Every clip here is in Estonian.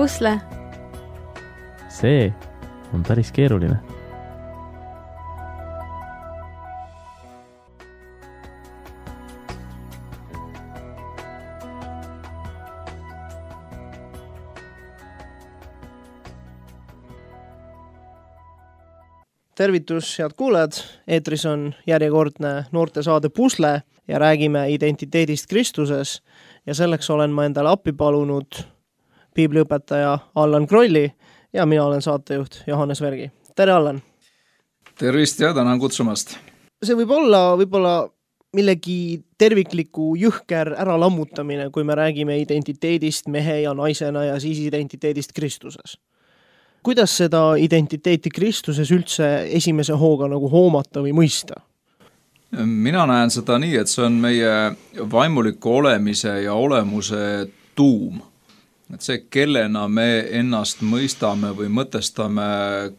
pusle? See on päris keeruline. Tervitus, head kuulajad! Eetris on järjekordne noortesaade Pusle ja räägime identiteedist Kristuses ja selleks olen ma endale appi palunud piibliõpetaja Allan Krolli ja mina olen saatejuht Johannes Vergi. Tere, Allan! Tervist ja tänan kutsumast! See võib olla millegi tervikliku jõhker äralammutamine, kui me räägime identiteedist mehe ja naisena ja siis identiteedist Kristuses. Kuidas seda identiteeti Kristuses üldse esimese hooga nagu hoomata või mõista? Mina näen seda nii, et see on meie vaimuliku olemise ja olemuse tuum. Et see, kellena me ennast mõistame või mõtestame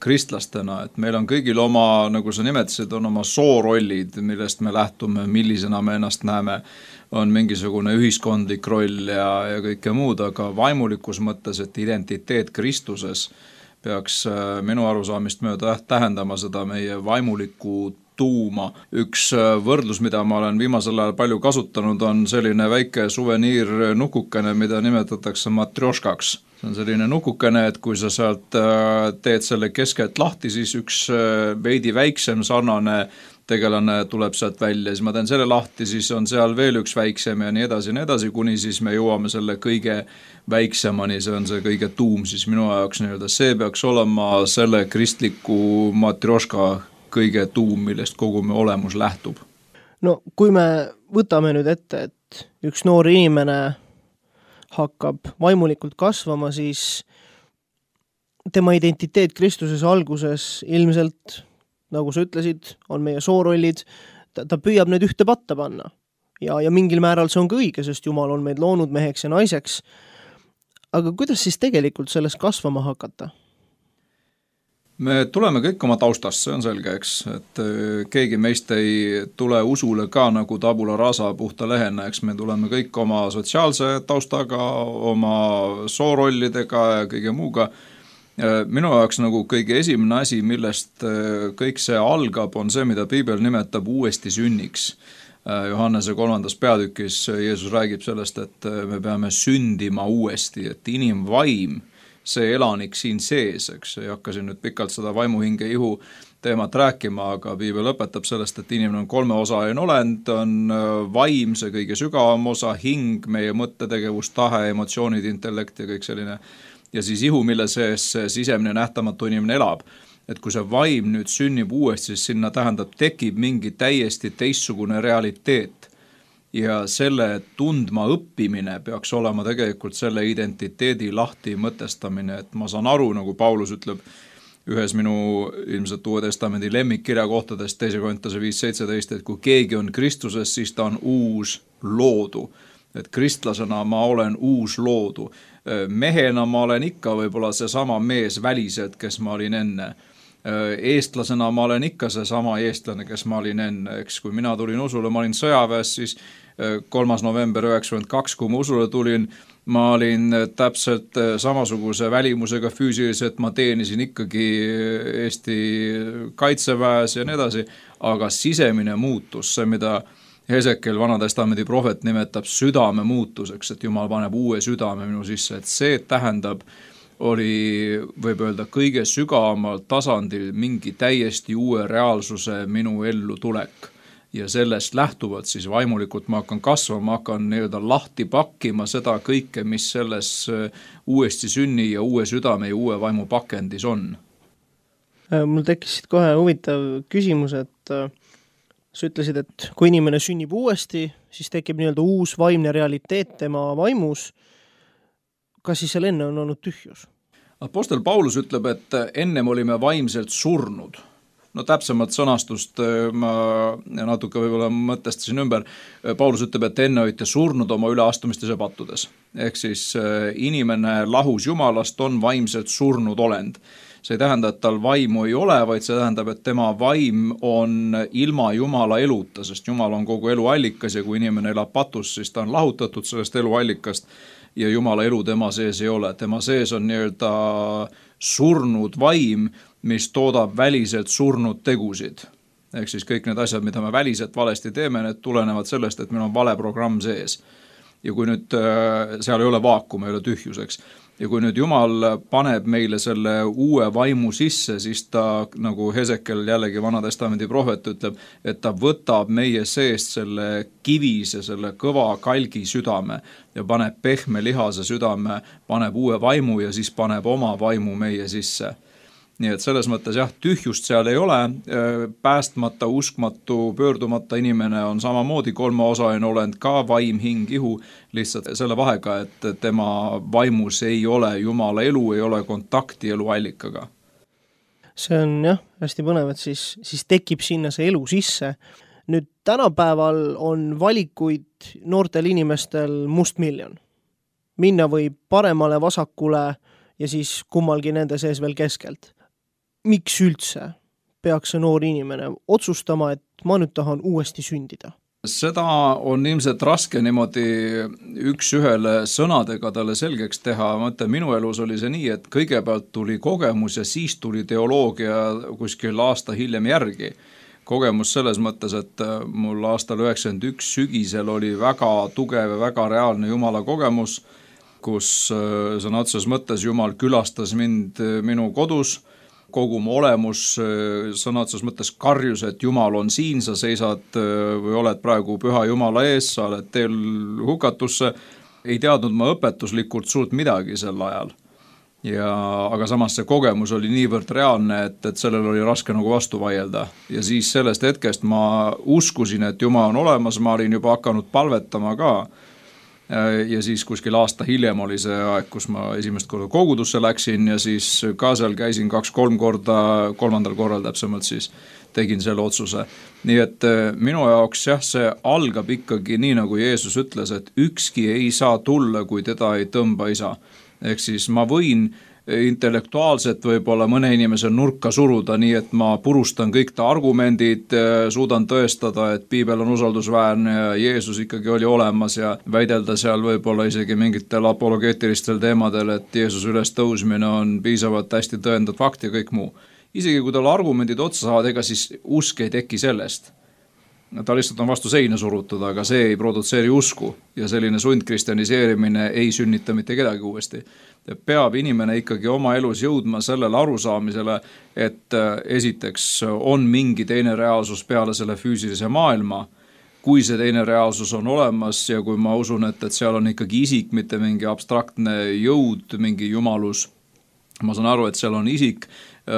kristlastena, et meil on kõigil oma, nagu sa nimetasid, on oma soorollid, millest me lähtume, millisena me ennast näeme, on mingisugune ühiskondlik roll ja kõike muud, aga vaimulikus mõttes, et identiteet Kristuses peaks minu arusaamist mööda tähendama seda meie vaimulikku tuuma. Üks võrdlus, mida ma olen viimasel ajal palju kasutanud, on selline väike suveniirnukukene, mida nimetatakse matrjoškaks. See on selline nukukene, et kui sa sealt teed selle keskelt lahti, siis üks veidi väiksem sarnane tegelane tuleb sealt välja, siis ma teen selle lahti, siis on seal veel üks väiksem ja nii edasi, kuni siis me jõuame selle kõige väiksemani, see on see kõige tuum, siis minu jaoks nii-öelda see peaks olema selle kristliku matrjoška kõige tuum, millest kogu me olemus lähtub. No kui me võtame nüüd ette, et üks noor inimene hakkab vaimulikult kasvama, siis tema identiteet Kristuses alguses ilmselt, nagu sa ütlesid, on meie soorollid, ta püüab need ühte patta panna. Ja mingil määral see on ka õige, sest Jumal on meid loonud meheks ja naiseks. Aga kuidas siis tegelikult sellest kasvama hakata? Me tuleme kõik oma taustast, see on selge, eks, et keegi meist ei tule usule ka nagu tabula rasa puhta lehena, eks me tuleme kõik oma sotsiaalse taustaga, oma soorollidega ja kõige muuga. Minu jaoks nagu kõige esimene asi, millest kõik see algab, on see, mida Piibel nimetab uuesti sünniks. Johannese 3. peatükis Jeesus räägib sellest, et me peame sündima uuesti, et inimvaim, see elanik siin sees, eks, ei hakkasin nüüd pikalt seda vaimuhinge ihu teemat rääkima, aga Piibel õpetab sellest, et inimene on 3 osaline olend, on vaim, see kõige sügavam osa, hing, meie mõttetegevus, tahe, emotsioonid, intellekt ja kõik selline, ja siis ihu, mille sees sisemine nähtamatu inimene elab. Et kui see vaim nüüd sünnib uuesti, siis sinna tähendab, tekib mingi täiesti teistsugune realiteet. Ja selle tundma õppimine peaks olema tegelikult selle identiteedi lahti mõtestamine, et ma saan aru, nagu Paulus ütleb ühes minu ilmselt Uue Testamendi lemmikkirja kohtadest 2. Korintuse 5:17, et kui keegi on Kristuses, siis ta on uus loodu. Et kristlasena ma olen uus loodu. Mehena ma olen ikka võib-olla seesama mees väliselt, kes ma olin enne. Eestlasena ma olen ikka seesama eestlane, kes ma olin enne. Eks kui mina tulin usule, ma olin sõjaväes, siis 3. november 1992, kui ma usule tulin, ma olin täpselt samasuguse välimusega füüsiliselt, ma teenisin ikkagi Eesti kaitseväes ja nii edasi, aga sisemine muutus, see mida Hesekiel Vanatestamendi prohvet nimetab südame muutuseks, et Jumal paneb uue südame minu sisse, et see tähendab, oli, võib öelda, kõige sügavamal tasandil mingi täiesti uue reaalsuse minu ellu tulek. Ja sellest lähtuvalt siis vaimulikult ma hakkan kasvama, ma hakkan nii-öelda lahti pakkima seda kõike, mis selles uuesti sünni ja uue südame ja uue vaimu pakendis on. Mul tekkisid kohe huvitav küsimus, et sa ütlesid, et kui inimene sünnib uuesti, siis tekib nii-öelda uus vaimne realiteet tema vaimus. Kas siis seal enne on olnud tühjus? Apostel Paulus ütleb, et ennem olime vaimselt surnud. No täpsemalt sõnastust ma natuke võib-olla mõtestasin ümber. Paulus ütleb, et enne olite surnud oma üleastumistes ja pattudes. Ehk siis inimene lahus Jumalast on vaimselt surnud olend. See ei tähenda, et tal vaimu ei ole, vaid see tähendab, et tema vaim on ilma Jumala eluta, sest Jumal on kogu elu allikas ja kui inimene elab patus, siis ta on lahutatud sellest eluallikast ja Jumala elu tema sees ei ole. Tema sees on nii-öelda surnud vaim, mis toodab väliselt surnud tegusid. Ehk siis kõik need asjad, mida me väliselt valesti teeme, need tulenevad sellest, et meil on vale programm sees. Ja kui nüüd seal ei ole vaakum, ei ole tühjuseks. Ja kui nüüd Jumal paneb meile selle uue vaimu sisse, siis ta, nagu Hesekel jällegi Vanatestamendi prohvet ütleb, et ta võtab meie seest selle kivise, selle kõva kalgi südame ja paneb pehme lihase südame, paneb uue vaimu ja siis paneb oma vaimu meie sisse. Nii et selles mõttes jah, tühjust seal ei ole, päästmata, uskmatu, pöördumata inimene on samamoodi kolmeosaline olend, ka vaim, hing, ihu, lihtsalt selle vahega, et tema vaimus ei ole Jumala elu, ei ole kontakti eluallikaga. See on jah, hästi põnev, et siis tekib sinna see elu sisse. Nüüd tänapäeval on valikuid noortel inimestel mustmiljon. Minna võib paremale, vasakule ja siis kummalgi nende sees veel keskelt. Miks üldse peaks see noor inimene otsustama, et ma nüüd tahan uuesti sündida? Seda on ilmselt raske niimoodi üks-ühele sõnadega talle selgeks teha. Ma ütlen, minu elus oli see nii, et kõigepealt tuli kogemus ja siis tuli teoloogia kuskil aasta hiljem järgi. Kogemus selles mõttes, et mul aastal 91 sügisel oli väga tugev ja väga reaalne Jumala kogemus, kus sõna otseses mõttes Jumal külastas mind minu kodus, kogu mu olemus sõna otseses mõttes karjus, et Jumal on siin, sa seisad või oled praegu püha Jumala ees, sa oled teel hukatusse. Ei teadnud ma õpetuslikult suurt midagi sel ajal. Aga samas see kogemus oli niivõrd reaalne, et sellel oli raske nagu vastu vaielda. Ja siis sellest hetkest ma uskusin, et Jumal on olemas, ma olin juba hakanud palvetama ka. Ja siis kuskil aasta hiljem oli see aeg, kus ma esimest korda kogudusse läksin ja siis ka seal käisin 2-3 korda, 3. korral täpsemalt siis tegin selle otsuse. Nii et minu jaoks jah, see algab ikkagi nii, nagu Jeesus ütles, et ükski ei saa tulla, kui teda ei tõmba isa. Ehk siis ma võin intellektuaalselt võib-olla mõne inimese nurka suruda, nii et ma purustan kõik ta argumendid, suudan tõestada, et piibel on usaldusväärne ja Jeesus ikkagi oli olemas ja väidelda seal võib-olla isegi mingitel apologeetilistel teemadel, et Jeesus üles tõusmine on piisavalt hästi tõendatud fakt ja kõik muu. Isegi kui tal argumendid otsa saavad, ega siis usk ei teki sellest. Ta lihtsalt on vastu seina surutud, aga see ei produtseeri usku ja selline sundkristjaniseerimine ei sünnita mitte kedagi uuesti. Peab inimene ikkagi oma elus jõudma sellele arusaamisele, et esiteks on mingi teine reaalsus peale selle füüsilise maailma, kui see teine reaalsus on olemas ja kui ma usun, et seal on ikkagi isik, mitte mingi abstraktne jõud, mingi jumalus. Ma saan aru, et seal on isik,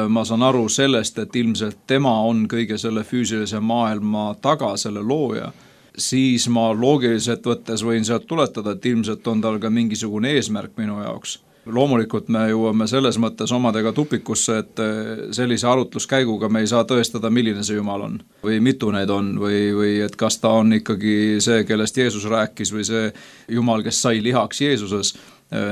ma saan aru sellest, et ilmselt tema on kõige selle füüsilise maailma taga, selle looja, siis ma loogiliselt võttes võin sealt tuletada, et ilmselt on tal ka mingisugune eesmärk minu jaoks. Loomulikult me jõuame selles mõttes omadega tupikusse, et sellise arutluskäiguga me ei saa tõestada, milline see Jumal on või mitu need on või et kas ta on ikkagi see, kellest Jeesus rääkis või see Jumal, kes sai lihaks Jeesuses.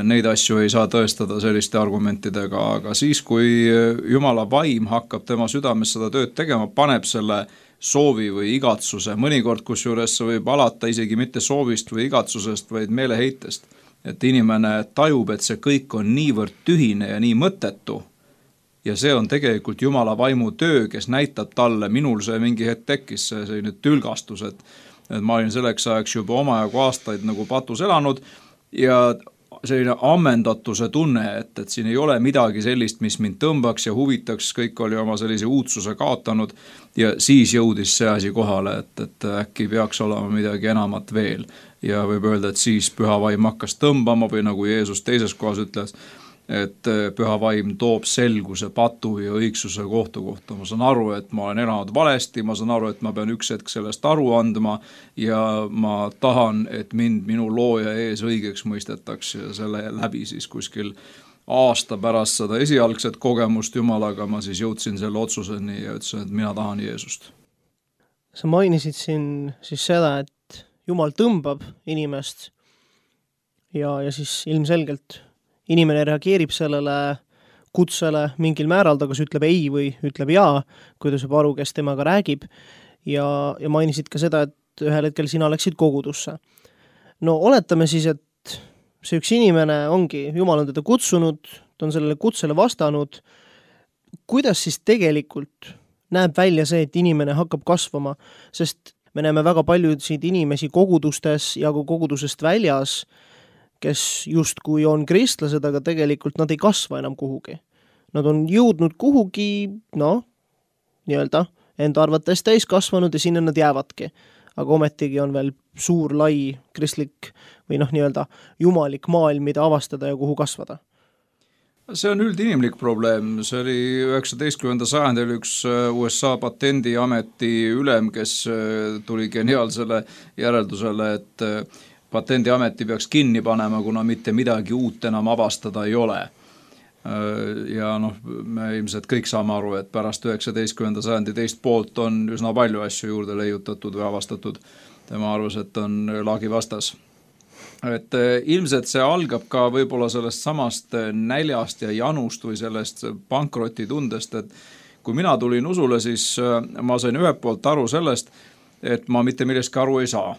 Neid asju ei saa tõestada selliste argumentidega, aga siis, kui Jumala vaim hakkab tema südames seda tööd tegema, paneb selle soovi või igatsuse, mõnikord kusjuures võib alata isegi mitte soovist või igatsusest, vaid meeleheitest. Et inimene tajub, et see kõik on niivõrd tühine ja nii mõttetu ja see on tegelikult Jumala vaimu töö, kes näitab talle, minul see mingi hetk tekkis, see nüüd tülgastus, et ma olin selleks ajaks juba omajagu aastaid nagu patus elanud ja selline ammendatuse tunne, et siin ei ole midagi sellist, mis mind tõmbaks ja huvitaks, kõik oli oma sellise uudsuse kaotanud ja siis jõudis see asi kohale, et äkki peaks olema midagi enamat veel ja võib öelda, et siis püha vaim hakkas tõmbama või nagu Jeesus teises kohas ütles, et püha vaim toob selguse patu ja õigsuse kohta. Ma saan aru, et ma olen elanud valesti, ma saan aru, et ma pean üks hetk sellest aru andma ja ma tahan, et mind minu looja ees õigeks mõistetaks ja selle läbi siis kuskil aasta pärast seda esialgset kogemust Jumalaga ma siis jõudsin selle otsuseni ja ütlesin, et mina tahan Jeesust. Sa mainisid siin siis seda, et Jumal tõmbab inimest ja siis ilmselgelt inimene reageerib sellele kutsele mingil määral, ta kas ütleb ei või ütleb jaa, kui ta saab aru, kes temaga räägib ja mainisid ka seda, et ühel hetkel sina läksid kogudusse. No oletame siis, et see üks inimene ongi, Jumal on teda kutsunud, ta on sellele kutsele vastanud. Kuidas siis tegelikult näeb välja see, et inimene hakkab kasvama, sest me näeme väga paljusid inimesi kogudustes ja ka kogudusest väljas, kes justkui on kristlased, aga tegelikult nad ei kasva enam kuhugi. Nad on jõudnud kuhugi, nii-öelda enda arvates täis kasvanud ja sinna nad jäävadki. Aga ometigi on veel suur, lai, kristlik või nii-öelda jumalik maailm, mida avastada ja kuhu kasvada. See on üldinimlik probleem, see oli 19. sajandil üks USA patendiameti ülem, kes tuli geniaalsele järeldusele, et patendiameti peaks kinni panema, kuna mitte midagi uut enam avastada ei ole. Ja me ilmselt kõik saame aru, et pärast 19. sajandi teist poolt on üsna palju asju juurde leiutatud või avastatud. Tema arvas, et on laagi vastas. Et ilmselt see algab ka võib-olla sellest samast näljast ja janust või sellest pankrotitundest, et kui mina tulin usule, siis ma sain ühelt poolt aru sellest, et ma mitte millestki aru ei saa.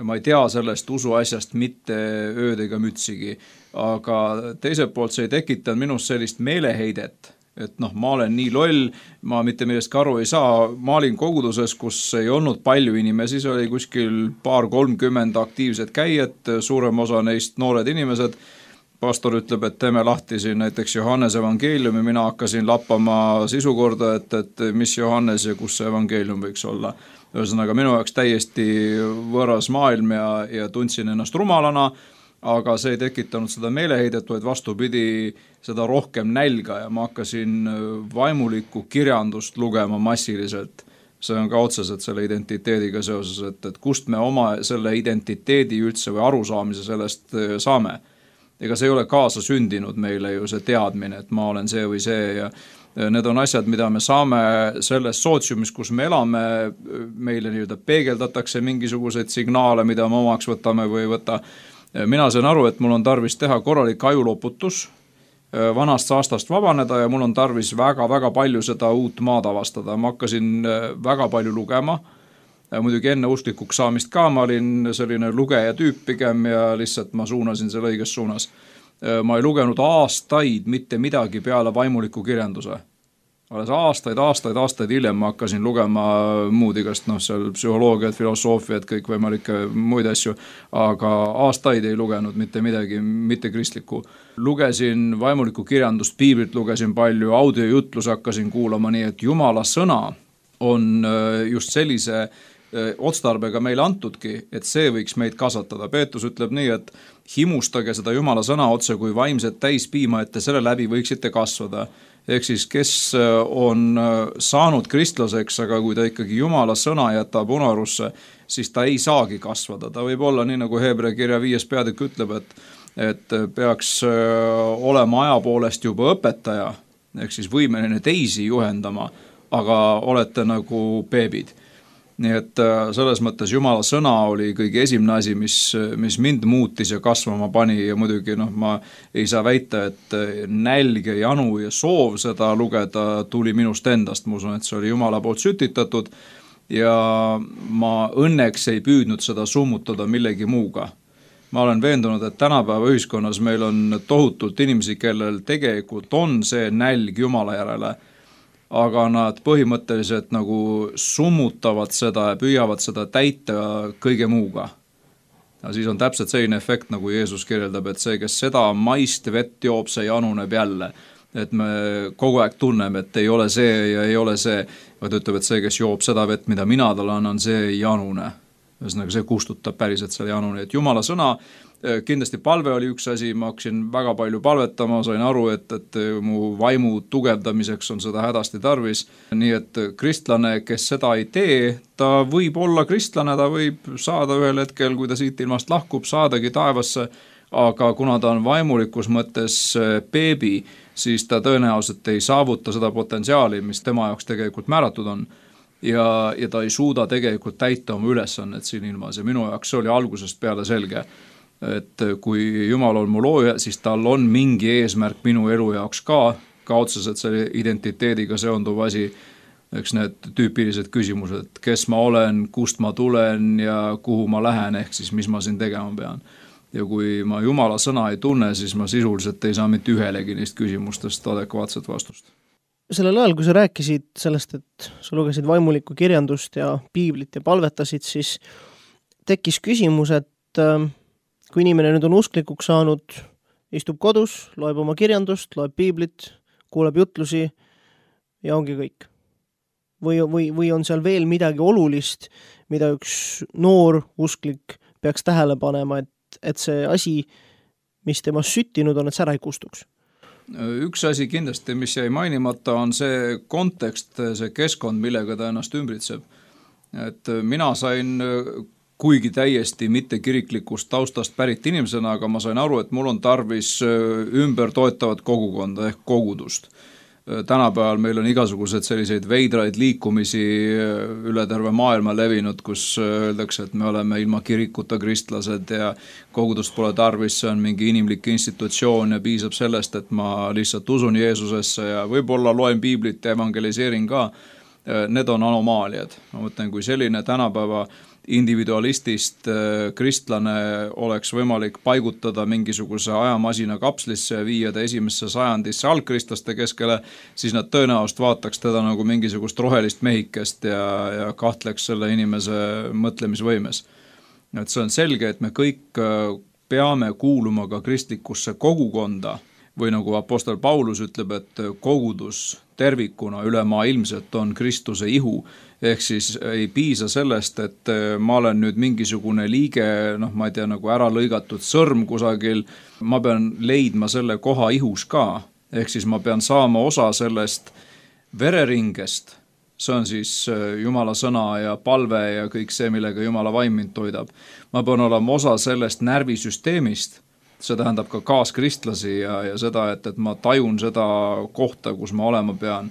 Ma ei tea sellest usuasjast mitte ööd ega mütsigi, aga teiselt poolt see ei tekitanud minust sellist meeleheidet, et ma olen nii loll, ma mitte millestki aru ei saa. Ma olin koguduses, kus ei olnud palju inimesi, see oli kuskil 20-30 aktiivset käijat, suurem osa neist noored inimesed. Pastor ütleb, et teeme lahti siin näiteks Johannes evangeeliumi, mina hakkasin lappama sisukorda, et mis Johannes ja kus see evangeelium võiks olla. Ühesõnaga minu jaoks täiesti võõras maailm ja tundsin ennast rumalana, aga see ei tekitanud seda meeleheidet, vaid vastupidi seda rohkem nälga ja ma hakkasin vaimulikku kirjandust lugema massiliselt. See on ka otseselt selle identiteediga seoses, et kust me oma selle identiteedi üldse või arusaamise sellest saame. Ega see ei ole kaasa sündinud meile ju see teadmine, et ma olen see või see ja need on asjad, mida me saame selles sootsiumis, kus me elame, meile nii-öelda peegeldatakse mingisuguseid signaale, mida me omaks võtame või võtta. Mina sain aru, et mul on tarvis teha korralik ajuloputus, vanast saastast vabaneda ja mul on tarvis väga-väga palju seda uut maad avastada. Ma hakkasin väga palju lugema, muidugi enne usklikuks saamist ka, ma olin selline lugeja tüüp pigem ja lihtsalt ma suunasin selle õiges suunas. Ma ei lugenud aastaid mitte midagi peale vaimuliku kirjanduse. Alles aastaid hiljem ma hakkasin lugema muud igast, seal psühholoogiat, filosoofiat, kõik võimalikke muid asju, aga aastaid ei lugenud mitte midagi, mitte kristlikku. Lugesin vaimulikku kirjandust, piiblit lugesin palju, audiojutlus hakkasin kuulama, nii et Jumala sõna on just sellise otstarbega meile antudki, et see võiks meid kasvatada. Peetrus ütleb nii, et himustage seda Jumala sõna otse kui vaimset täispiima, et te selle läbi võiksite kasvada. Ehk siis, kes on saanud kristlaseks, aga kui ta ikkagi Jumala sõna jätab unarusse, siis ta ei saagi kasvada. Ta võib olla nii, nagu Hebra kirja 5. peatükk ütleb, et peaks olema aja poolest juba õpetaja, ehk siis võimeline teisi juhendama, aga olete nagu beebid. Nii et selles mõttes Jumala sõna oli kõige esimene asi, mis mind muutis ja kasvama pani ja muidugi ma ei saa väita, et nälg ja janu ja soov seda lugeda tuli minust endast. Ma usun, et see oli Jumala poolt sütitatud ja ma õnneks ei püüdnud seda summutada millegi muuga. Ma olen veendunud, et tänapäeva ühiskonnas meil on tohutult inimesi, kellel tegelikult on see nälg Jumala järele, aga nad põhimõtteliselt nagu summutavad seda ja püüavad seda täita kõige muuga. Ja siis on täpselt selline efekt, nagu Jeesus kirjeldab, et see, kes seda maist vett joob, see januneb jälle. Et me kogu aeg tunneme, et ei ole see ja ei ole see, vaid ütleb, et see, kes joob seda vett, mida mina talle annan, see ei janune. Ühesõnaga, see kustutab päriselt selle janune. Et Jumala sõna, kindlasti palve oli üks asi, ma hakkasin väga palju palvetama, sain aru, et mu vaimu tugevdamiseks on seda hädasti tarvis. Nii et kristlane, kes seda ei tee, ta võib olla kristlane, ta võib saada ühel hetkel, kui ta siit ilmast lahkub, saadagi taevasse, aga kuna ta on vaimulikus mõttes beebi, siis ta tõenäoliselt ei saavuta seda potentsiaali, mis tema jaoks tegelikult määratud on. Ja ta ei suuda tegelikult täita oma ülesannet siin ilmas ja minu jaoks see oli algusest peale selge, et kui Jumal on mu looja, siis tal on mingi eesmärk minu elu jaoks ka otseselt selle identiteediga seonduv asi, eks need tüüpilised küsimused, kes ma olen, kust ma tulen ja kuhu ma lähen, ehk siis mis ma siin tegema pean. ja kui ma Jumala sõna ei tunne, siis ma sisuliselt ei saa mitte ühelegi neist küsimustest adekvaatset vastust. Sellel ajal, kui sa rääkisid sellest, et sa lugesid vaimulikku kirjandust ja piiblit ja palvetasid, siis tekkis küsimus, et kui inimene nüüd on usklikuks saanud, istub kodus, loeb oma kirjandust, loeb piiblit, kuuleb jutlusi ja ongi kõik. Või on seal veel midagi olulist, mida üks noor usklik peaks tähele panema, et see asi, mis temast süttinud on, et see ära ei kustuks? Üks asi kindlasti, mis jäi mainimata, on see kontekst, see keskkond, millega ta ennast ümbritseb. Et mina sain, kuigi täiesti mitte kiriklikust taustast pärit inimesena, aga ma sain aru, et mul on tarvis ümber toetavat kogukonda ehk kogudust. Tänapäeval meil on igasugused selliseid veidraid liikumisi üle terve maailma levinud, kus öeldakse, et me oleme ilma kirikuta kristlased ja kogudust pole tarvis, see on mingi inimlik institutsioon ja piisab sellest, et ma lihtsalt usun Jeesusesse ja võib-olla loen piiblit ja evangeliseerin ka. Need on anomaaliad. Ma mõtlen, kui selline tänapäeva individualistist kristlane oleks võimalik paigutada mingisuguse ajamasina kapslisse ja viia ta esimesse sajandisse algkristlaste keskele, siis nad tõenäoliselt vaataks teda nagu mingisugust rohelist mehikest ja kahtleks selle inimese mõtlemisvõimes. Et see on selge, et me kõik peame kuuluma ka kristlikusse kogukonda või nagu apostel Paulus ütleb, et kogudus tervikuna ülemaailmselt on Kristuse ihu, ehk siis ei piisa sellest, et ma olen nüüd mingisugune liige, ma ei tea, nagu ära lõigatud sõrm kusagil, ma pean leidma selle koha ihus ka, ehk siis ma pean saama osa sellest vereringest, see on siis Jumala sõna ja palve ja kõik see, millega Jumala vaim mind toidab. Ma pean olema osa sellest närvisüsteemist, see tähendab ka kaaskristlasi ja seda, et ma tajun seda kohta, kus ma olema pean.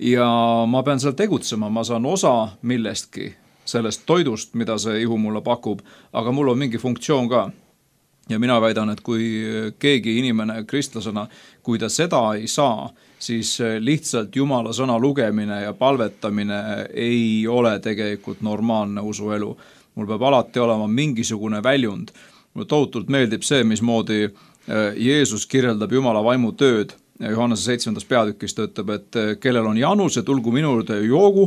Ja ma pean seal tegutsema, ma saan osa millestki, sellest toidust, mida see ihu mulle pakub, aga mul on mingi funktsioon ka. Ja mina väidan, et kui keegi inimene kristlasena, kui ta seda ei saa, siis lihtsalt Jumala sõna lugemine ja palvetamine ei ole tegelikult normaalne usuelu. Mul peab alati olema mingisugune väljund. Mulle tohutult meeldib see, mismoodi Jeesus kirjeldab Jumala vaimu tööd. Johannese 7. peatükis ta ütleb, et kellel on janus, et tulgu minu juurde joogu,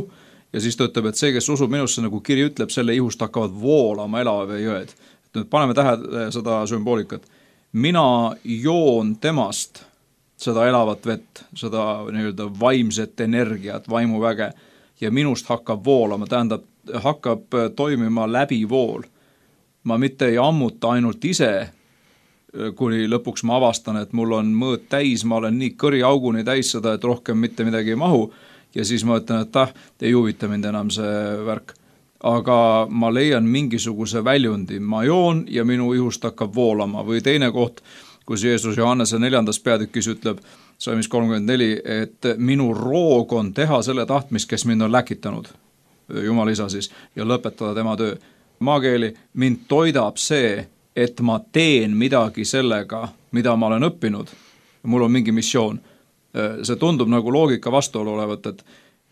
ja siis ta ütleb, et see, kes usub minusse, nagu kiri ütleb, selle ihust hakkavad voolama elava vee jõed. Nüüd paneme tähele seda sümboolikat. Mina joon temast seda elavat vett, seda nii-öelda vaimset energiat, vaimuväge, ja minust hakkab voolama, tähendab, hakkab toimima läbi vool. Ma mitte ei ammuta ainult ise, kuni lõpuks ma avastan, et mul on mõõt täis, ma olen nii kõriauguni täis seda, et rohkem mitte midagi ei mahu, ja siis ma ütlen, et ei huvita mind enam see värk. Aga ma leian mingisuguse väljundi, ma joon ja minu ihust hakkab voolama. Või teine koht, kus Jeesus Johannese 4. peatükis ütleb, Salmis 34, et minu roog on teha selle tahtmist, kes mind on läkitanud, Jumal isa siis, ja lõpetada tema töö. Maakeeli, mind toidab see, et ma teen midagi sellega, mida ma olen õppinud. Mul on mingi missioon. See tundub nagu loogika vastuolu olevat, et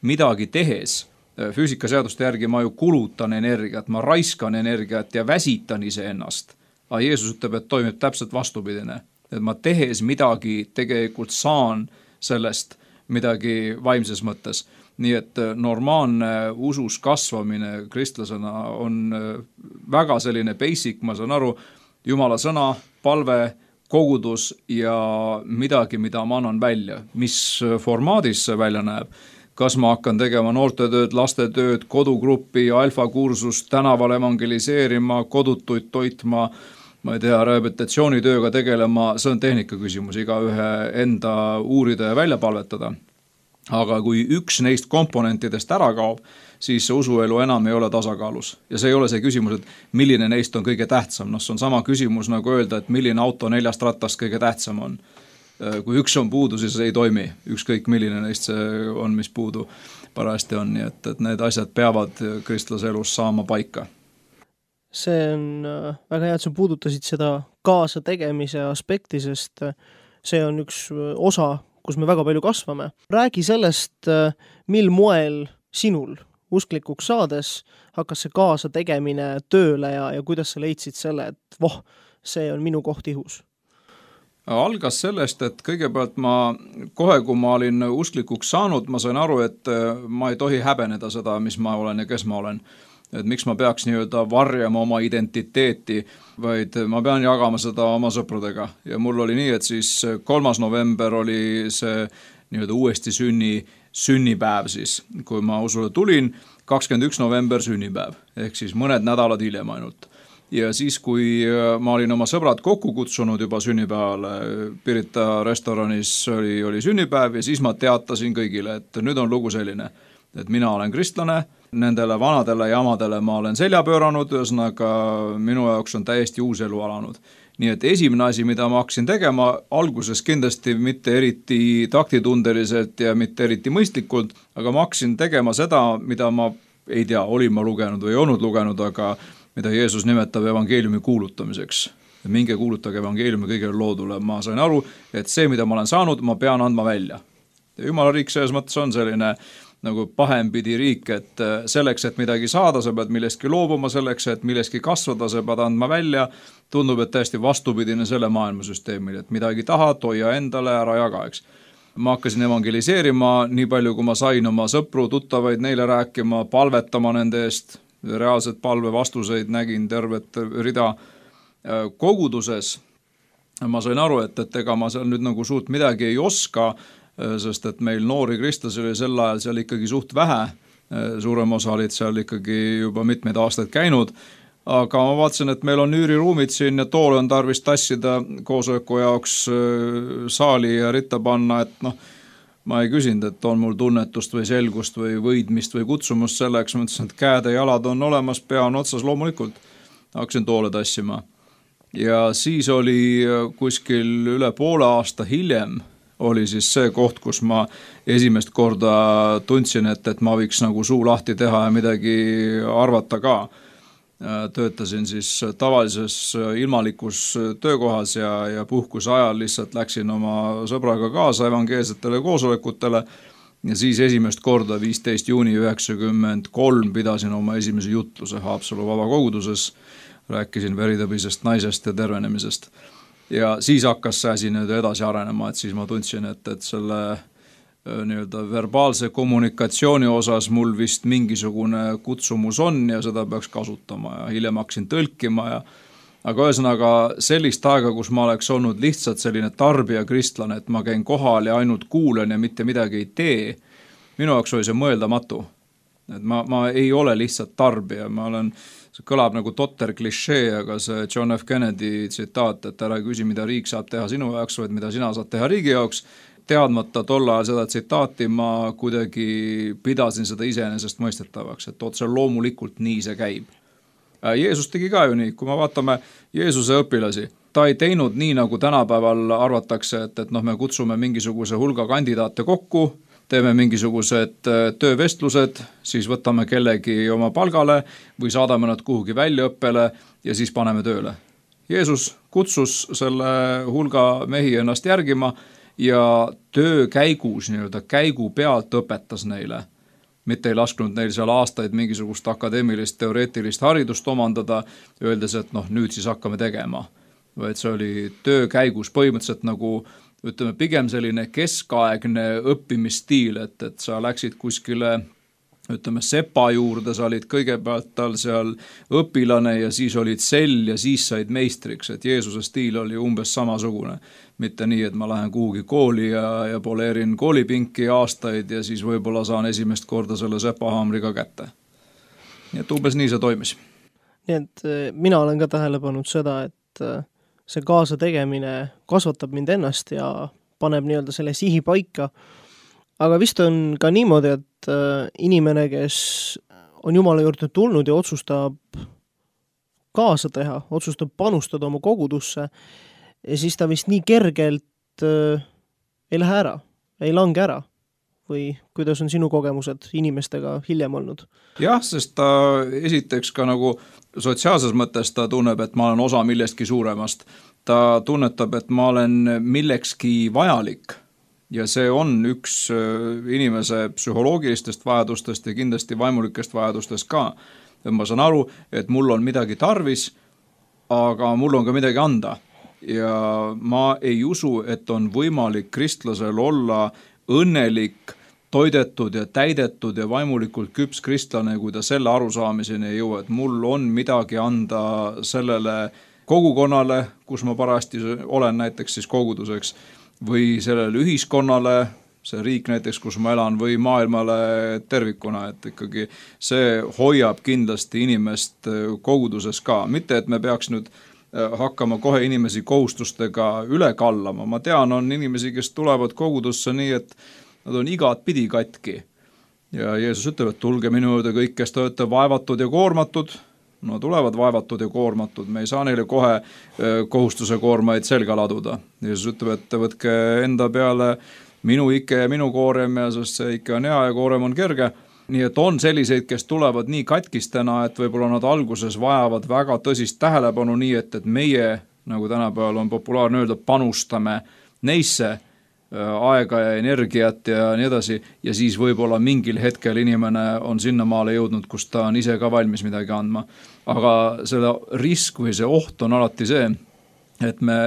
midagi tehes, füüsikaseaduste järgi ma ju kulutan energiat, ma raiskan energiat ja väsitan iseennast. Aga Jeesus ütleb, et toimib täpselt vastupidine. Et ma tehes midagi tegelikult saan sellest midagi vaimses mõttes. Nii et normaalne usus kasvamine kristlasena on väga selline basic, ma saan aru, Jumala sõna, palve, kogudus ja midagi, mida ma annan välja. Mis formaadis see välja näeb? Kas ma hakkan tegema noortetööd, lastetööd, kodugruppi, alfakursust, tänaval evangeliseerima, kodutuid toitma, ma ei tea, rehabilitatsioonitööga tegelema, see on tehnika küsimus, igaühe enda uurida ja välja palvetada. Aga kui üks neist komponentidest ära kaob, siis usuelu enam ei ole tasakaalus. Ja see ei ole see küsimus, et milline neist on kõige tähtsam. See on sama küsimus nagu öelda, et milline auto 4 rattast kõige tähtsam on. Kui üks on puudu, siis ei toimi. Ükskõik milline neist see on, mis puudu parajasti on. Nii et need asjad peavad kristlase elus saama paika. See on väga hea, et sa puudutasid seda kaasa tegemise aspekti, sest see on üks osa, kus me väga palju kasvame. Räägi sellest, mil moel sinul usklikuks saades hakkas see kaasa tegemine tööle ja kuidas sa leidsid selle, et see on minu koht ihus? Algas sellest, et kõigepealt kohe, kui ma olin usklikuks saanud, ma sain aru, et ma ei tohi häbeneda seda, mis ma olen ja kes ma olen. Et miks ma peaks nii-öelda varjama oma identiteeti, vaid ma pean jagama seda oma sõpradega. Ja mul oli nii, et siis 3. november oli see nii-öelda uuesti sünnipäev siis, kui ma usule tulin, 21. november sünnipäev, ehk siis mõned nädalad hiljem ainult. Ja siis, kui ma olin oma sõbrad kokku kutsunud juba sünnipäevale, Pirita restoranis oli sünnipäev ja siis ma teatasin kõigile, et nüüd on lugu selline, et mina olen kristlane, nendele vanadele jamadele ma olen selja pööranud, ühesõnaga minu jaoks on täiesti uus elu alanud. Nii et esimene asi, mida ma hakkasin tegema, alguses kindlasti mitte eriti taktitundeliselt ja mitte eriti mõistlikult, aga ma hakkasin tegema seda, mida ma ei tea, olin ma lugenud või ei olnud lugenud, aga mida Jeesus nimetab evangeeliumi kuulutamiseks. Minge kuulutage evangeeliumi kõigele loodule. Ma sain aru, et see, mida ma olen saanud, ma pean andma välja. Ja Jumala riik selles mõttes on selline nagu pahempidi riik, et selleks, et midagi saada, sa pead millestki loobuma, selleks, et millestki kasvada, sa pead andma välja. Tundub, et täiesti vastupidine selle maailmasüsteemile, et midagi tahad, hoia endale, ära jaga, eks. Ma hakkasin evangeliseerima nii palju, kui ma sain oma sõpru, tuttavaid neile rääkima, palvetama nende eest, reaalselt palve vastuseid nägin tervet rida koguduses. Ma sain aru, et ega ma seal nüüd nagu suurt midagi ei oska, sest et meil noori kristlasi oli sel ajal seal ikkagi suht vähe. Suurem osa olid seal ikkagi juba mitmeid aastaid käinud. Aga ma vaatasin, et meil on üüriruumid siin ja toole on tarvis tassida koosoleku jaoks saali ja ritta panna, et ma ei küsinud, et on mul tunnetust või selgust või võidmist või kutsumust selleks. Ma ütlesin, et käed ja jalad on olemas, pea on otsas loomulikult. Hakkasin toole tassima. Ja siis oli kuskil üle poole aasta hiljem oli siis see koht, kus ma esimest korda tundsin, et ma võiks nagu suu lahti teha ja midagi arvata ka. Töötasin siis tavalises ilmalikus töökohas ja puhkuse ajal lihtsalt läksin oma sõbraga kaasa evangeelsetele koosolekutele ja siis esimest korda 15. juuni 1993 pidasin oma esimese jutluse Haapsalu vabakoguduses, rääkisin veritõbisest naisest ja tervenemisest. Ja siis hakkas see asi nüüd edasi arenema, et siis ma tundsin, et selle nii-öelda verbaalse kommunikatsiooni osas mul vist mingisugune kutsumus on ja seda peaks kasutama ja hiljem hakkasin tõlkima aga ühesõnaga sellist aega, kus ma oleks olnud lihtsalt selline tarbija kristlane, et ma käin kohal ja ainult kuulen ja mitte midagi ei tee, minu jaoks oli see mõeldamatu. Et ma ei ole lihtsalt tarbija, see kõlab nagu totter klišee, aga see John F. Kennedy tsitaat, et ära küsi, mida riik saab teha sinu jaoks, vaid mida sina saad teha riigi jaoks, teadmata tolle ajal seda tsitaati ma kuidagi pidasin seda iseenesest mõistetavaks, et otse loomulikult nii see käib. Jeesus tegi ka ju nii, kui me vaatame Jeesuse õpilasi, ta ei teinud nii, nagu tänapäeval arvatakse, et me kutsume mingisuguse hulga kandidaate kokku, teeme mingisugused töövestlused, siis võtame kellegi oma palgale või saadame nad kuhugi väljaõppele ja siis paneme tööle. Jeesus kutsus selle hulga mehi ennast järgima ja töö käigus, nii-öelda käigu pealt õpetas neile. Mitte ei lasknud neil seal aastaid mingisugust akadeemilist, teoreetilist haridust omandada, öeldes, et nüüd siis hakkame tegema. Vaid see oli töö käigus põhimõtteliselt nagu, ütleme, pigem selline keskaegne õppimisstiil, et sa läksid kuskile, ütleme, sepa juurde, sa olid kõigepealt tal seal õpilane ja siis olid sell ja siis said meistriks, et Jeesuse stiil oli umbes samasugune. Mitte nii, et ma lähen kuhugi kooli ja poleerin koolipinki aastaid ja siis võib-olla saan esimest korda selle sepahaamriga kätte. Nii et umbes nii see toimis. Nii et mina olen ka tähele pannud seda, et see kaasa tegemine kasvatab mind ennast ja paneb nii-öelda selle sihi paika. Aga vist on ka niimoodi, et inimene, kes on Jumala juurde tulnud ja otsustab kaasa teha, otsustab panustada oma kogudusse, ja siis ta vist nii kergelt ei lähe ära, ei lange ära. Või kuidas on sinu kogemused inimestega hiljem olnud? Jah, sest ta esiteks ka nagu sotsiaalses mõttes ta tunneb, et ma olen osa millestki suuremast. Ta tunnetab, et ma olen millekski vajalik ja see on üks inimese psühholoogilistest vajadustest ja kindlasti vaimulikest vajadustest ka. Ma saan aru, et mul on midagi tarvis, aga mul on ka midagi anda. Ja ma ei usu, et on võimalik kristlasel olla õnnelik, toidetud ja täidetud ja vaimulikult küps kristlane, kui ta selle arusaamiseni ei jõua, et mul on midagi anda sellele kogukonnale, kus ma parajasti olen näiteks siis koguduseks, või sellele ühiskonnale, see riik näiteks, kus ma elan, või maailmale tervikuna, et ikkagi see hoiab kindlasti inimest koguduses ka. Mitte, et me peaks nüüd hakkama kohe inimesi kohustustega üle kallama. Ma tean, on inimesi, kes tulevad kogudusse nii, et nad on igat pidi katki. Ja Jeesus ütleb, et tulge minu juurde kõik, kes te olete vaevatud ja koormatud. No tulevad vaevatud ja koormatud. Me ei saa neile kohe kohustuse koormaid selga laduda. Jeesus ütleb, et võtke enda peale minu ike ja minu koorem, ja sest see ike on hea ja koorem on kerge. Nii et on selliseid, kes tulevad nii katkistena, et võib-olla nad alguses vajavad väga tõsist tähelepanu nii, et meie, nagu tänapäeval on populaarne öelda, panustame neisse aega ja energiat ja nii edasi, ja siis võib-olla mingil hetkel inimene on sinnamaale jõudnud, kus ta on ise ka valmis midagi andma. Aga selle risk või see oht on alati see, et me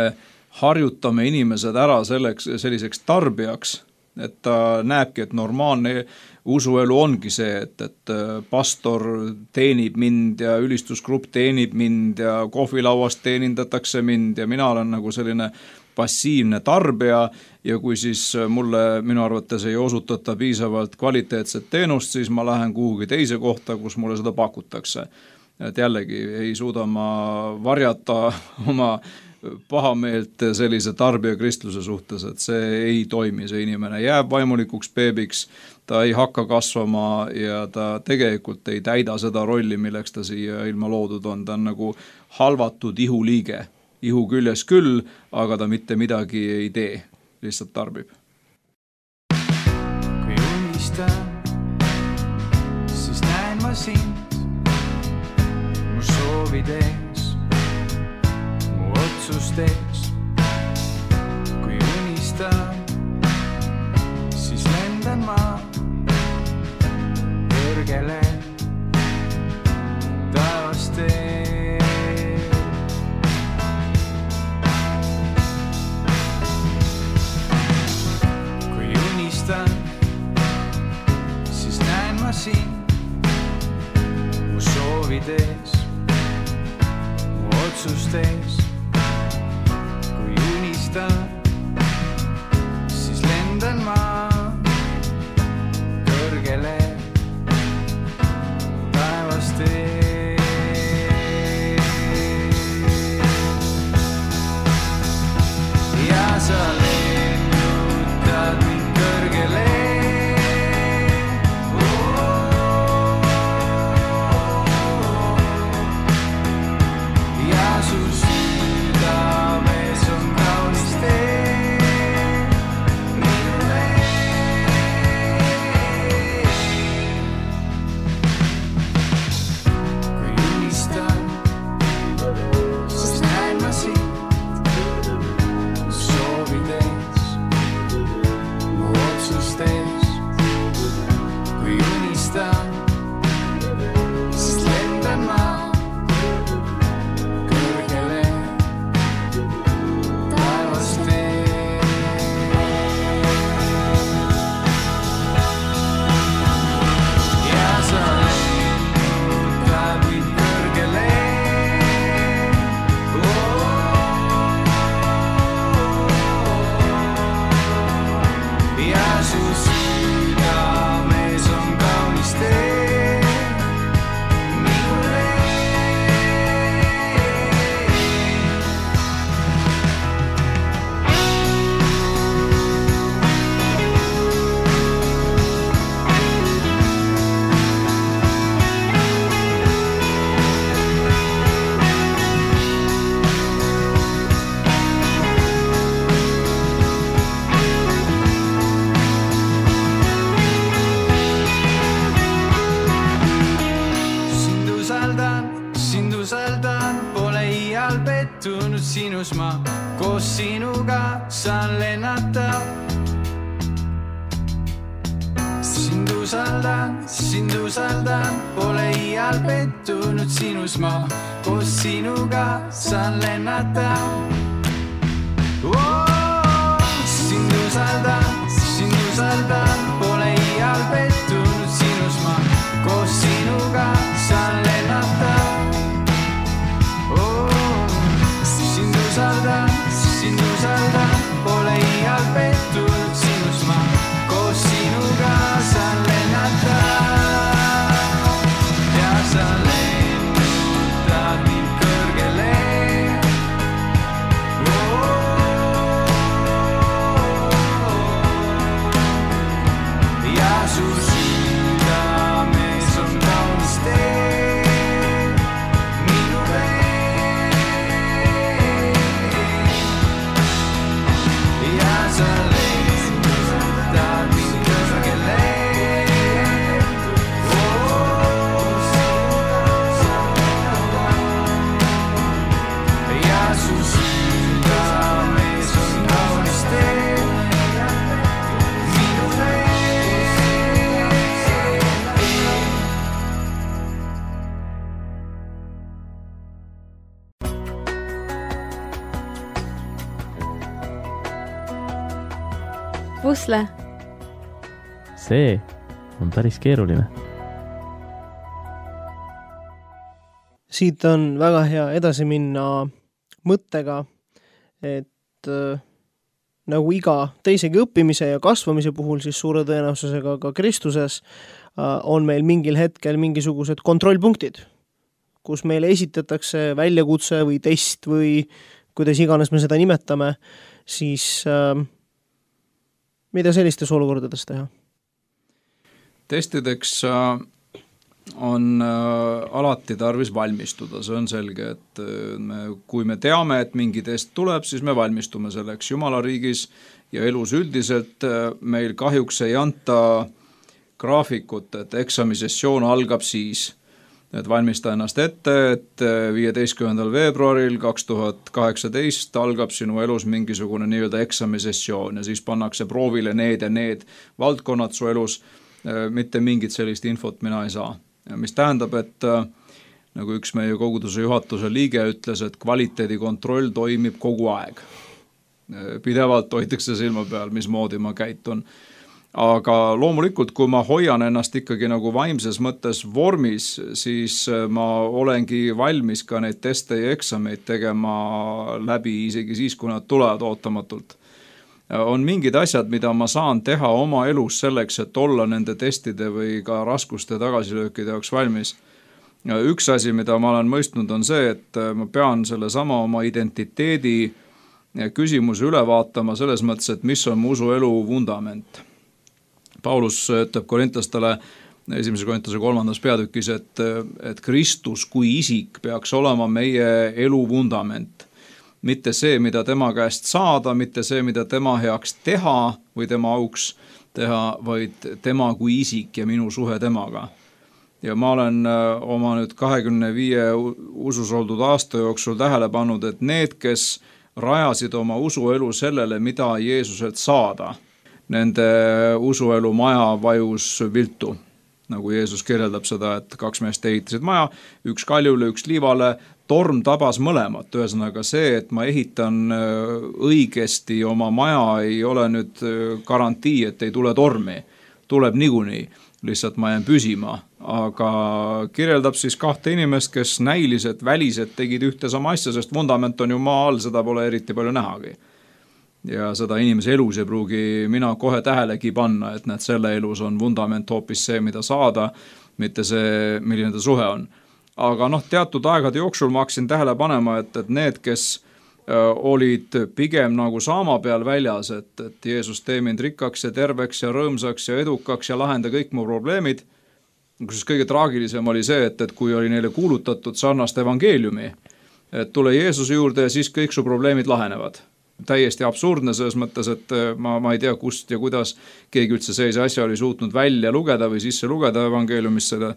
harjutame inimesed ära selliseks tarbijaks, et ta näebki, et normaalne usuelu ongi see, et pastor teenib mind ja ülistusgrupp teenib mind ja kohvilauast teenindatakse mind ja mina olen nagu selline passiivne tarbija, ja kui siis mulle minu arvates ei osutata piisavalt kvaliteetset teenust, siis ma lähen kuhugi teise kohta, kus mulle seda pakutakse. Et jällegi ei suuda ma varjata oma pahameelt sellise tarbija kristluse suhtes, et see ei toimi, see inimene jääb vaimulikuks beebiks, ta ei hakka kasvama ja ta tegelikult ei täida seda rolli, milleks ta siia ilma loodud on, ta on nagu halvatud ihuliige. Ihu küljes küll, aga ta mitte midagi ei tee, lihtsalt tarbib. Kui unistan, siis näen ma sind, mu soovid ees, mu otsust ees. Kui unistan, siis lendan ma kõrgele taevast ees. Siis näen ma sind, mu soovid ees, mu otsust ees. Kui unistan, siis lendan ma kõrgele taevast ees. Ja sa lennutad mind kõrgele. Sinus ma koos sinuga saan lennata sind usaldan, pole iial pettunud sinus ma, koos sinuga saan lennata. Sind usaldan, pole iial pettunud sinus ma, koos sinuga saan lennata. Sind usaldan, pole iial pettunud sinus ma, koos sinuga saan lennata. Ja sa lennutad mind kõrgele. Ja su südames on kaunis tee minu vee. Ja sa lennutad mind kõrgele. Ja su südames on kaunis tee minu vee. Pusle. See on päris keeruline. Siit on väga hea edasi minna mõttega, et nagu iga teisegi õppimise ja kasvamise puhul, siis suure tõenäosusega ka Kristuses on meil mingil hetkel mingisugused kontrollpunktid, kus meile esitatakse väljakutse või test või kuidas iganes me seda nimetame, siis mida sellistes olukordades teha? Testideks on alati tarvis valmistuda, see on selge, et kui me teame, et mingi test tuleb, siis me valmistume selleks. Jumala riigis ja elus üldiselt meil kahjuks ei anta graafikut, et eksamisessioon algab siis, et valmista ennast ette, et 15. veebruaril 2018 algab sinu elus mingisugune nii-öelda eksamisessioon ja siis pannakse proovile need ja need valdkonnad su elus, mitte mingit sellist infot mina ei saa. Mis tähendab, et nagu üks meie koguduse juhatuse liige ütles, et kvaliteedikontroll toimib kogu aeg. Pidevalt hoitakse silma peal, mismoodi ma käitun. Aga loomulikult, kui ma hoian ennast ikkagi nagu vaimses mõttes vormis, siis ma olengi valmis ka neid teste ja eksameid tegema läbi isegi siis, kui nad tulevad ootamatult. On mingid asjad, mida ma saan teha oma elus selleks, et olla nende testide või ka raskuste tagasilöökide jaoks valmis. Üks asi, mida ma olen mõistnud, on see, et ma pean selle sama oma identiteedi küsimuse üle vaatama selles mõttes, et mis on mu usuelu vundament. Paulus ütleb korintlastele 1. Korintuse 3. peatükis, et Kristus kui isik peaks olema meie elu vundament. Mitte see, mida tema käest saada, mitte see, mida tema heaks teha või tema auks teha, vaid tema kui isik ja minu suhe temaga. Ja ma olen oma nüüd 25 usus oldud aasta jooksul tähele pannud, et need, kes rajasid oma usuelu sellele, mida Jeesuselt saada, nende usuelu maja vajus viltu. Nagu Jeesus kirjeldab seda, et 2 meest ehitasid maja, üks kaljule, üks liivale, torm tabas mõlemat. Ühesõnaga see, et ma ehitan õigesti oma maja, ei ole nüüd garantii, et ei tule tormi. Tuleb niikuinii, lihtsalt ma jään püsima. Aga kirjeldab siis 2 inimest, kes näilised, välised tegid ühte sama asja, sest vundament on ju maa all, seda pole eriti palju nähagi. Ja seda inimese elus ei pruugi mina kohe tähelegi panna, et näed, selle elus on vundament hoopis see, mida saada, mitte see, milline ta suhe on. Aga teatud aegade jooksul ma hakkasin tähele panema, et need, kes olid pigem nagu saama peal väljas, et Jeesus tee mind rikkaks ja terveks ja rõõmsaks ja edukaks ja lahenda kõik mu probleemid. Kus kõige traagilisem oli see, et kui oli neile kuulutatud sarnast evangeeliumi, et tule Jeesuse juurde ja siis kõik su probleemid lahenevad. Täiesti absurdne selles mõttes, et ma ei tea, kust ja kuidas keegi üldse sellise asja oli suutnud välja lugeda või sisse lugeda evangeeliumist seda,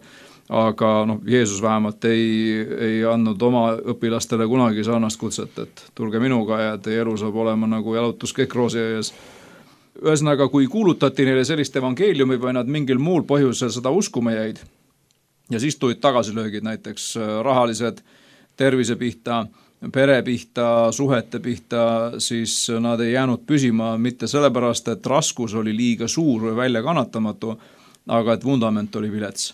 aga Jeesus vähemalt ei andnud oma õpilastele kunagi sarnast kutset, et tulge minuga ja teie elu saab olema nagu jalutus kõik roosiaias. ühesõnaga, kui kuulutati neile sellist evangeeliumi või nad mingil muul põhjusel seda uskuma jäid ja siis tulid tagasilöögid näiteks rahalised, tervise pihta, pere pihta, suhete pihta, siis nad ei jäänud püsima mitte sellepärast, et raskus oli liiga suur või väljakannatamatu, aga et vundament oli vilets.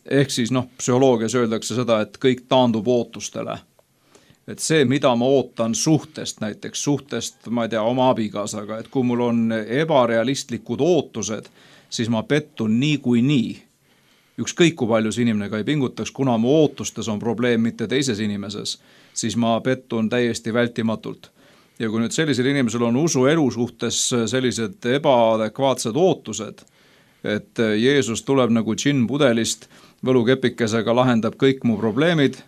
Ehk siis psühholoogias öeldakse seda, et kõik taandub ootustele. Et see, mida ma ootan suhtest, näiteks suhtest, ma ei tea, oma abikaasaga, et kui mul on ebarealistlikud ootused, siis ma pettun nii. Ükskõik kui palju see inimene ka ei pingutaks, kuna mu ootustes on probleem mitte teises inimeses, siis ma pettun täiesti vältimatult. Ja kui nüüd sellisel inimesel on usuelu suhtes sellised ebaadekvaatsed ootused, et Jeesus tuleb nagu džinn pudelist, võlukepikesega lahendab kõik mu probleemid,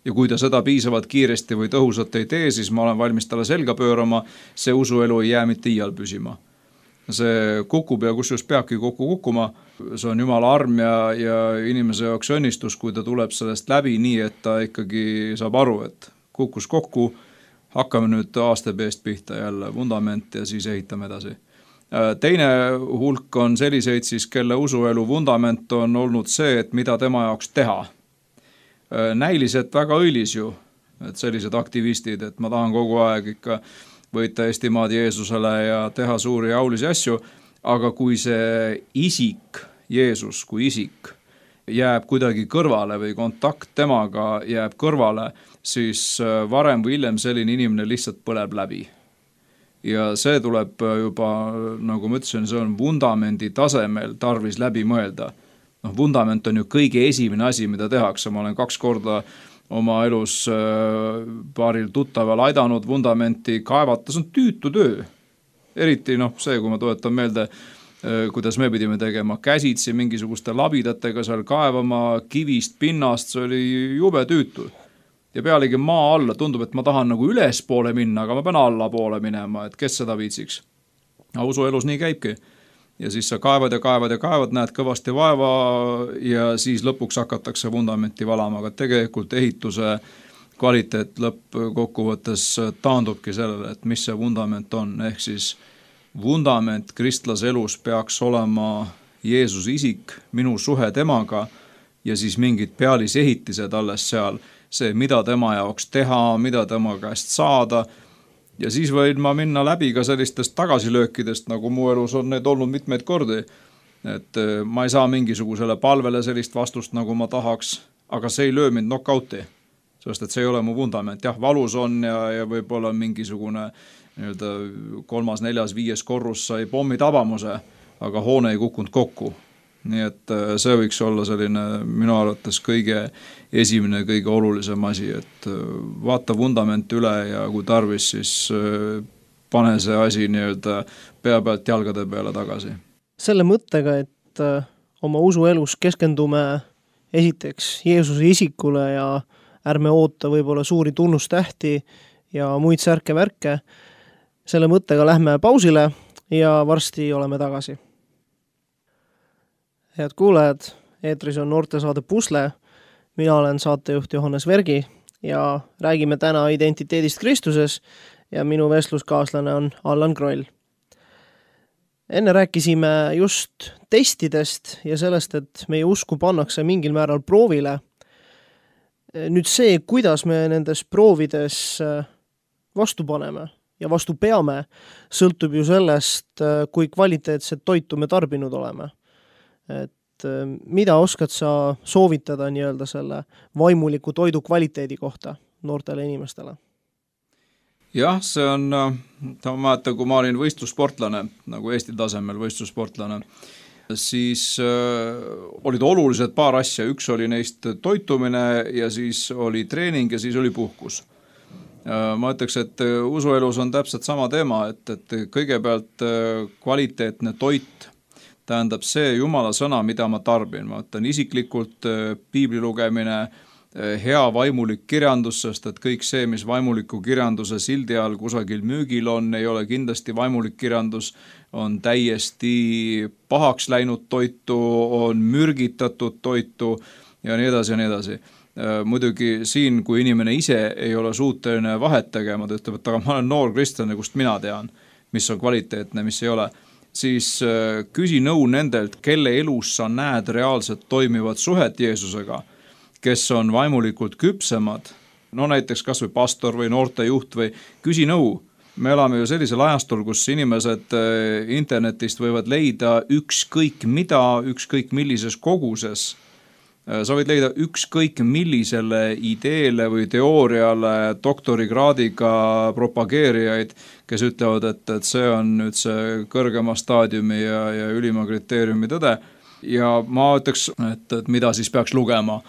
ja kui ta seda piisavalt kiiresti või tõhusalt ei tee, siis ma olen valmis talle selga pöörama, see usuelu ei jää mitte iial püsima. See kukub ja kusjuures peabki kokku kukkuma, see on Jumala arm ja inimese jaoks õnnistus, kui ta tuleb sellest läbi nii, et ta ikkagi saab aru, et kukkus kokku, hakkame nüüd aastapeest pihta jälle vundament ja siis ehitame edasi. Teine hulk on selliseid siis, kelle usuelu vundament on olnud see, et mida tema jaoks teha. Näiliselt väga õilis ju, et sellised aktivistid, et ma tahan kogu aeg ikka võita Eestimaad Jeesusele ja teha suuri jaulisi asju, aga kui see isik, Jeesus kui isik, jääb kuidagi kõrvale või kontakt temaga jääb kõrvale, siis varem või hiljem selline inimene lihtsalt põleb läbi. Ja see tuleb juba, nagu ma ütlesin, see on vundamendi tasemel tarvis läbi mõelda. Vundament on ju kõige esimene asi, mida tehakse. Ma olen 2 korda oma elus paaril tuttaval aidanud vundamenti kaevata, see on tüütu töö. Eriti see, kui ma tuletan meelde, kuidas me pidime tegema käsitsi mingisuguste labidatega seal kaevama kivist, pinnast, see oli jube tüütu. Ja pealegi maa alla tundub, et ma tahan nagu ülespoole minna, aga ma pean allapoole minema, et kes seda viitsiks. Aga usuelus nii käibki. Ja siis sa kaevad, näed kõvasti vaeva ja siis lõpuks hakatakse vundamenti valama, aga tegelikult ehituse kvaliteet lõppkokkuvõttes taandubki sellele, et mis see vundament on. Ehk siis vundament kristlase elus peaks olema Jeesus isik, minu suhe temaga ja siis mingid pealisehitised alles seal, see, mida tema jaoks teha, mida tema käest saada. Ja siis võin ma minna läbi ka sellistest tagasilöökidest, nagu mu elus on need olnud mitmeid kordi. Et ma ei saa mingisugusele palvele sellist vastust, nagu ma tahaks, aga see ei löö mind knockouti, sest et see ei ole mu vundament. Jah, valus on ja võib-olla mingisugune 3., 4., 5. korrus sai pommi tabamuse, aga hoone ei kukkunud kokku. Nii et see võiks olla selline minu arvates kõige esimene, kõige olulisem asi, et vaata vundament üle ja kui tarvis, siis pane see asi pea pealt jalgade peale tagasi. Selle mõttega, et oma usuelus keskendume esiteks Jeesuse isikule ja ärme oota võib-olla suuri tunnustähti ja muid särke-värke, selle mõttega lähme pausile ja varsti oleme tagasi. Head kuulajad, eetris on noortesaade Pusle, mina olen saatejuht Johannes Vergi ja räägime täna identiteedist Kristuses ja minu vestluskaaslane on Allan Kroll. Enne rääkisime just testidest ja sellest, et meie usku pannakse mingil määral proovile. Nüüd see, kuidas me nendes proovides vastu paneme ja vastu peame, sõltub ju sellest, kui kvaliteetset toitu me tarbinud oleme. Et mida oskad sa soovitada nii-öelda selle vaimuliku toidu kvaliteedi kohta noortele inimestele? Jah, see on, ma mäletan, kui ma olin võistlussportlane, nagu Eesti tasemel võistlussportlane, siis olid olulised paar asja. Üks oli neist toitumine ja siis oli treening ja siis oli puhkus. Ma ütleks, et usuelus on täpselt sama teema, et kõigepealt kvaliteetne toit tähendab see Jumala sõna, mida ma tarbin. Ma ütlen isiklikult piibli lugemine, hea vaimulik kirjandus, sest et kõik see, mis vaimuliku kirjanduse sildi all kusagil müügil on, ei ole kindlasti vaimulik kirjandus, on täiesti pahaks läinud toitu, on mürgitatud toitu ja nii edasi ja nii edasi. Muidugi siin, kui inimene ise ei ole suuteline vahet tegema, ta ütleb, et aga ma olen noor kristlane, kust mina tean. mis on kvaliteetne, mis ei ole, siis küsi nõu nendelt, kelle elus sa näed reaalselt toimivat suhet Jeesusega, kes on vaimulikult küpsemad, no näiteks kas või pastor või noortejuht või küsi nõu. Me elame ju sellisel ajastul, kus inimesed internetist võivad leida ükskõik mida, ükskõik millises koguses. Sa võid leida ükskõik millisele ideele või teooriale doktorikraadiga propageerijaid, kes ütlevad, et see on nüüd see kõrgema staadiumi ja ülima kriteeriumi tõde. Ja ma ütleks, et mida siis peaks lugema.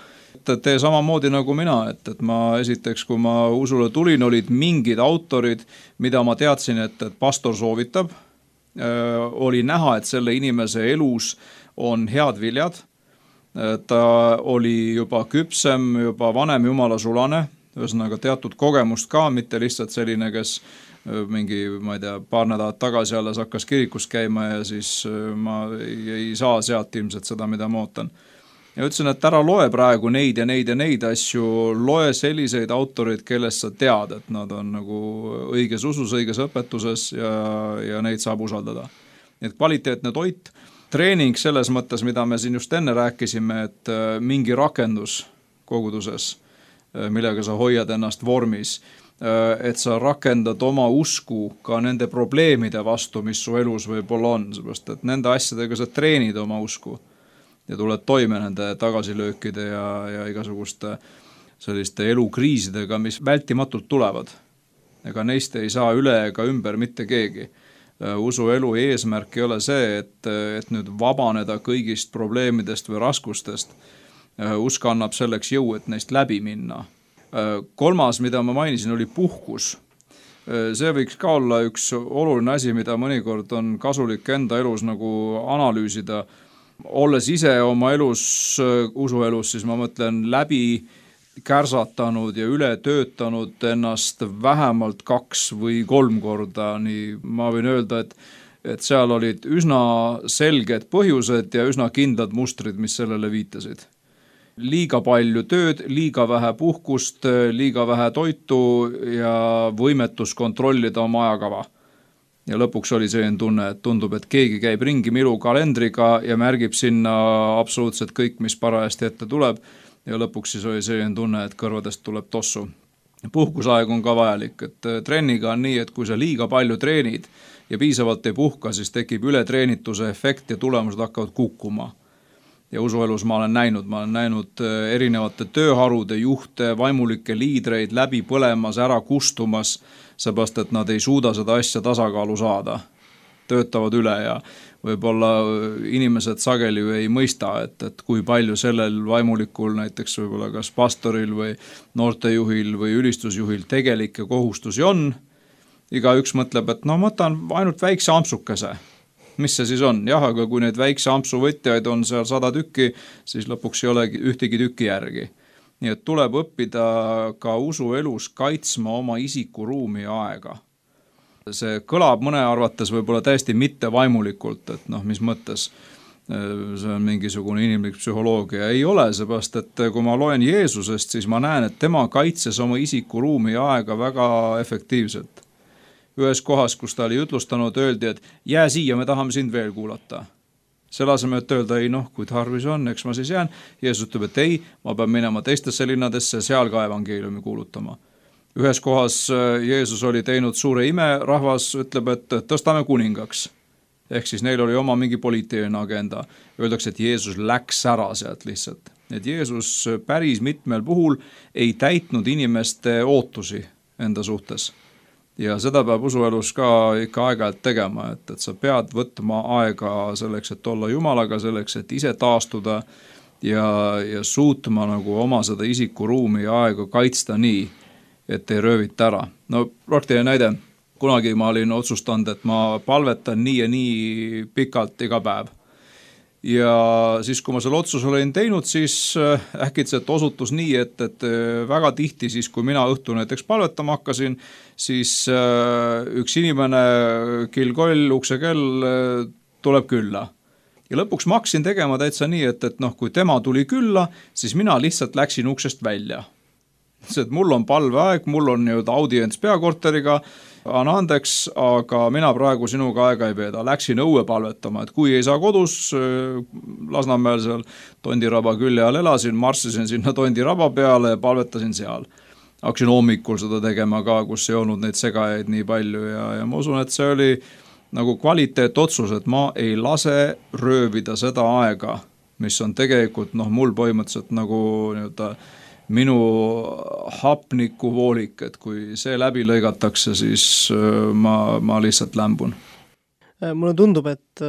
Tee samamoodi nagu mina, et ma esiteks, kui ma usule tulin, olid mingid autorid, mida ma teadsin, et pastor soovitab. Oli näha, et selle inimese elus on head viljad. Ta oli juba küpsem, juba vanem jumala sulane, ühesõnaga teatud kogemust ka, mitte lihtsalt selline, kes mingi, ma ei tea, paar nädalat tagasi alles hakkas kirikus käima ja siis ma ei saa sealt ilmselt seda, mida ma ootan. Ja ütlesin, et ära loe praegu neid ja neid asju, loe selliseid autoreid, kellest sa tead, et nad on nagu õiges usus, õiges õpetuses ja neid saab usaldada. Et kvaliteetne toit, treening selles mõttes, mida me siin just enne rääkisime, et mingi rakendus koguduses, millega sa hoiad ennast vormis, et sa rakendad oma usku ka nende probleemide vastu, mis su elus võib-olla on, seepärast et nende asjadega sa treenid oma usku. Ja tuled toime nende tagasilöökide ja igasuguste selliste elukriisidega, mis vältimatult tulevad. Ega neist ei saa üle ega ümber mitte keegi. Usu elu eesmärk ei ole see, et nüüd vabaneda kõigist probleemidest või raskustest. Usk annab selleks jõu, et neist läbi minna. Kolmas, mida ma mainisin, oli puhkus. See võiks ka olla üks oluline asi, mida mõnikord on kasulik enda elus nagu analüüsida. Olles ise oma elus, usuelus, siis ma mõtlen läbi kärsatanud ja üle töötanud ennast vähemalt 2 või 3 korda. Nii ma võin öelda, et seal olid üsna selged põhjused ja üsna kindlad mustrid, mis sellele viitasid. Liiga palju tööd, liiga vähe puhkust, liiga vähe toitu ja võimetus kontrollida oma ajakava. Ja lõpuks oli selline tunne, et tundub, et keegi käib ringi milu kalendriga ja märgib sinna absoluutselt kõik, mis parajasti ette tuleb. Ja lõpuks siis oli selline tunne, et kõrvadest tuleb tossu. Puhkusaeg on ka vajalik, et trenniga on nii, et kui sa liiga palju treenid ja piisavalt ei puhka, siis tekib ületreenituse efekt ja tulemused hakkavad kukkuma. Ja usuelus ma olen näinud erinevate tööharude juhte, vaimulikke liidreid läbi põlemas, ära kustumas, seepärast, et nad ei suuda seda asja tasakaalu saada. Töötavad üle ja võib-olla inimesed sageli ei mõista, et kui palju sellel vaimulikul, näiteks võib-olla kas pastoril või noortejuhil või ülistusjuhil tegelikke kohustusi on. Igaüks mõtleb, et no ma võtan ainult väikse ampsukese. Mis see siis on? Jah, aga kui neid väikse ampsu võtjaid on seal 100 tükki, siis lõpuks ei olegi ühtegi tükki järgi. Nii et tuleb õppida ka usuelus kaitsma oma isikuruumi ja aega. See kõlab mõne arvates võib-olla täiesti mitte vaimulikult, et mis mõttes see on mingisugune inimlik psühholoogia. Ei ole, seepärast, et kui ma loen Jeesusest, siis ma näen, et tema kaitses oma isikuruumi ja aega väga efektiivselt. Ühes kohas, kus ta oli ütlustanud, öeldi, et jää siia, me tahame sind veel kuulata. Selle asemel, et öelda, ei kui tarvis on, eks ma siis jään. Jeesus ütleb, et ei, ma pean minema teistesse linnadesse, seal ka evangeeliumi kuulutama. Ühes kohas Jeesus oli teinud suure ime, rahvas ütleb, et tõstame kuningaks. Ehk siis neil oli oma mingi poliitiline agenda. Öeldakse, et Jeesus läks ära sealt lihtsalt. Et Jeesus päris mitmel puhul ei täitnud inimeste ootusi enda suhtes. Ja seda peab usuelus ka ikka aeg-ajalt tegema, et sa pead võtma aega selleks, et olla Jumalaga, selleks, et ise taastuda ja suutma nagu oma seda isikuruumi ja aega kaitsta nii, et ei röövita ära. No praktiline näide, kunagi ma olin otsustanud, et ma palvetan nii ja nii pikalt iga päev. Ja siis, kui ma selle otsuse olin teinud, siis äkitselt osutus nii, et väga tihti siis, kui mina õhtu näiteks palvetama hakkasin, siis üks inimene, killkoll, uksekell tuleb külla. Ja lõpuks ma hakkasin tegema täitsa nii, et kui tema tuli külla, siis mina lihtsalt läksin uksest välja. et mul on palveaeg, mul on audients peakorteriga, anna andeks, aga mina praegu sinuga aega ei veeda. Läksin õue palvetama, et kui ei saa kodus, Lasnamäel seal Tondiraba külje all elasin, marssisin sinna Tondiraba peale ja palvetasin seal. Hakkasin hommikul seda tegema ka, kus ei olnud neid segajaid nii palju ja ma usun, et see oli nagu kvaliteetotsus, et ma ei lase röövida seda aega, mis on tegelikult mul põhimõtteliselt nagu minu hapnikuvoolik, et kui see läbi lõigatakse, siis ma lihtsalt lämbun. Mulle tundub, et